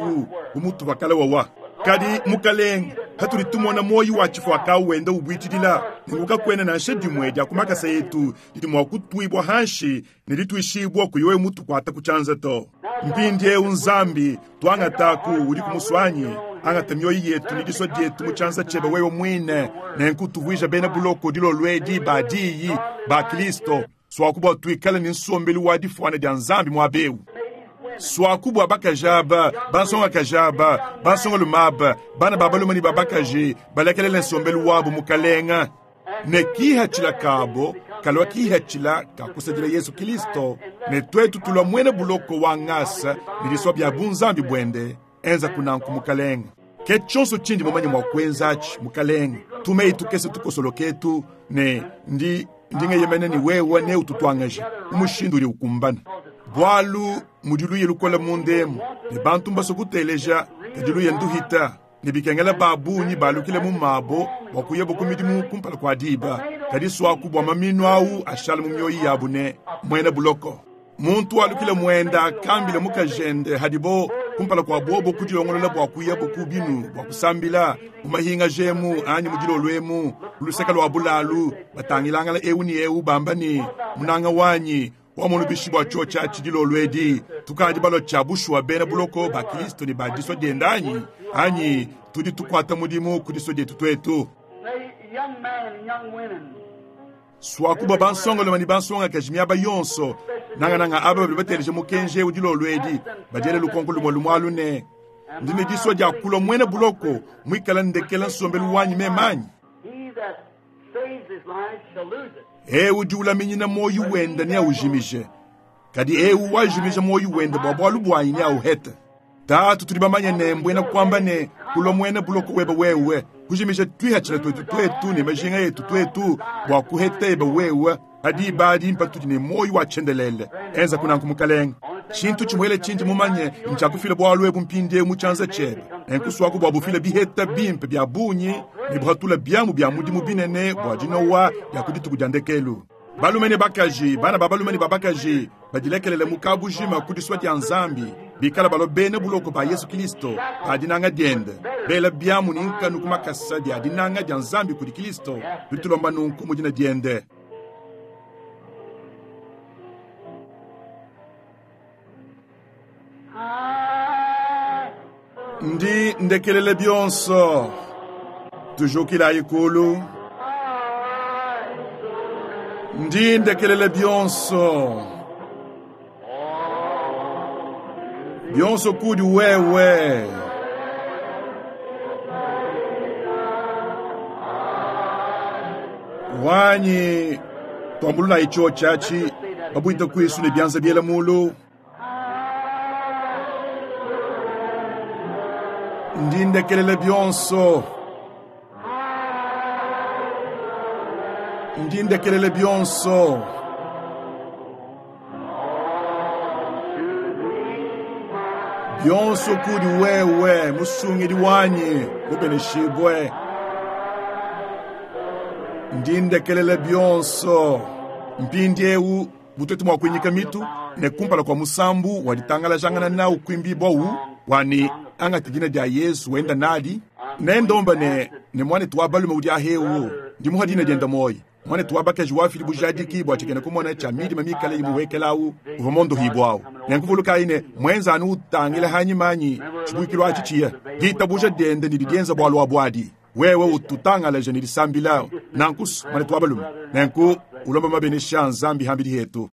bu mutu wakala wawa. Kadi mukalenga, hatudi tumona moyi wa tshifuaka wenda ubuitshidila, nenku kakuena nansha dimue dia ku makasa etu didi mua kutuibua hanshi ne dituishibua kuyi wewe mutukuata ku tshianza to. Mpindieu Nzambi, tuangataku udi kumusuanyi, angata mioyo yetu ne disua dietu mu tshianza tshiebe wewe muine, nenku tuvuija bena buloko dilolo edi ba diyi ba Kristo, swaku bua tuikale ne nsombelu wa difuana dia Nzambi muaba eu. Swaku bua bakaji aba, bansongakaji aba, bansongalume aba, bana ba balume ne ba bakaji balekelele nsombelu wabu mukalenga, ne kihatshila kabo kalua kihatshila ka kusadila Yesu Kristo, ne twetu tulua muena buloko wa ngasa ne disua bia bunzambi buende. Enza kunanku mukalenga. Ke tshionso tshindi mumanye mua kuenza atshi mukalenga, tumeyi tukese tukosoloketu ne ndi ndingeyemene ni wewe ne ututuangaje umushindu udi ukumbana. Bwalu mudi luye lukola mundemu ne bantu mbaso kuteleja kadi luye nduhita ne bikengela babunyi balukile mu mabo bua kuyabo ku midimu kumpala kua diba. Kadi swaku bua maminu awu ashala mu mioyo yabu ne muena buloko. Muntu walukile muenda akambile mukajende hadibo kumpala kua bobo kudilongolola bua kuyabo ku binu bua kusambila mu mahinga jemu anyi mu dilolo emu luseka lua bulalu batangilangala eu ni eu bamba ni munanga wanyi wamonu bishi bua tshio tshia dilolo edi tukadi balua tshia bushuwa bena buloko ba Kristo ne ba disua diende anyi anyi tudi tukuata mudimu ku disua dietu twetu.
May young men and young women
Swakuba bansongoloma ne bansongakaji miaba yonso nangananga aba badi bateleja mukenji eu dilolo edi badiele lukonko lumue lumue alu ne ndi ne disua dia kulua muena buloko muikala ndekela nsombelu wanyi memanyi.
He that saves his life shall lose it.
Eu udi ulaminyina moyo wenda neaujimije, kadi eu wajimija moyo wenda bua bualu buanyi neauhete. Tatu tudi bamanye ne mbwena kuamba ne kulua muena buloko webe wewe kujimija twihatshila twetu twetu ne majinga yetu twetu bua kuheta ebe wewe adi badi mpatudi ne moyo wa tshiendelele. Enza kunanku mukalenga. Tshintu tshimuele tshindi mumanye ntshiakufila bualu ebu mpindieu mu tshianza tshiebe. Nenkuswaku bua bufila biheta bimpe bia bungi ne buhatula biamu bia mudimu binene bua dinowa dia ku dituku dia ndekelu. Balume ne bakaji, bana ba balume ne ba bakaji badilekelele mu kabujima ku disua dia Nzambi, bikala balua bena buloko ba Yesu Kristo ba dinanga diende, bela biamu ne nkanu ku makasa dia dinanga dia Nzambi kudi Kristo, bitulomba nunku mu dina diende. Ndi ndekelele bionso, tujukila ikulu. Ndi ndekelele bionso, bionso kudi wewe. Wanyi twambulula icho chachi babuita kwisu ne byanza biela mulu. Ndi ndekelele bionso, ndi ndekelele bionso, bionso kudi wewe musungidi wanyi mubeneshibwe. Ndi ndekelele bionso. Mpindieu butetu mua kuinyika mitu ne kumpala kua musambu wa ditangalajangana nawu kuimbibwa wu wani angata dina dia Yesu wenda nadi nendomba ne ne mwanetu wa balume udi ahewu ndi muha dina dienda moyi mwanetu wa bakaji wafili bujadiki bua tshikena kumona tshia midima mikale imuwekelawu uvua mondohibwawu nenkuvulukayi ne mwenza anu utangila hanyimanyi tshibuikilu atshi tshiya ditabuja diende ne didienza bualu abuadi wewe ututangalaje ne disambila nankusu mwanetu wa balume nenku ulomba mabenesha Nzambi hambidi hetu.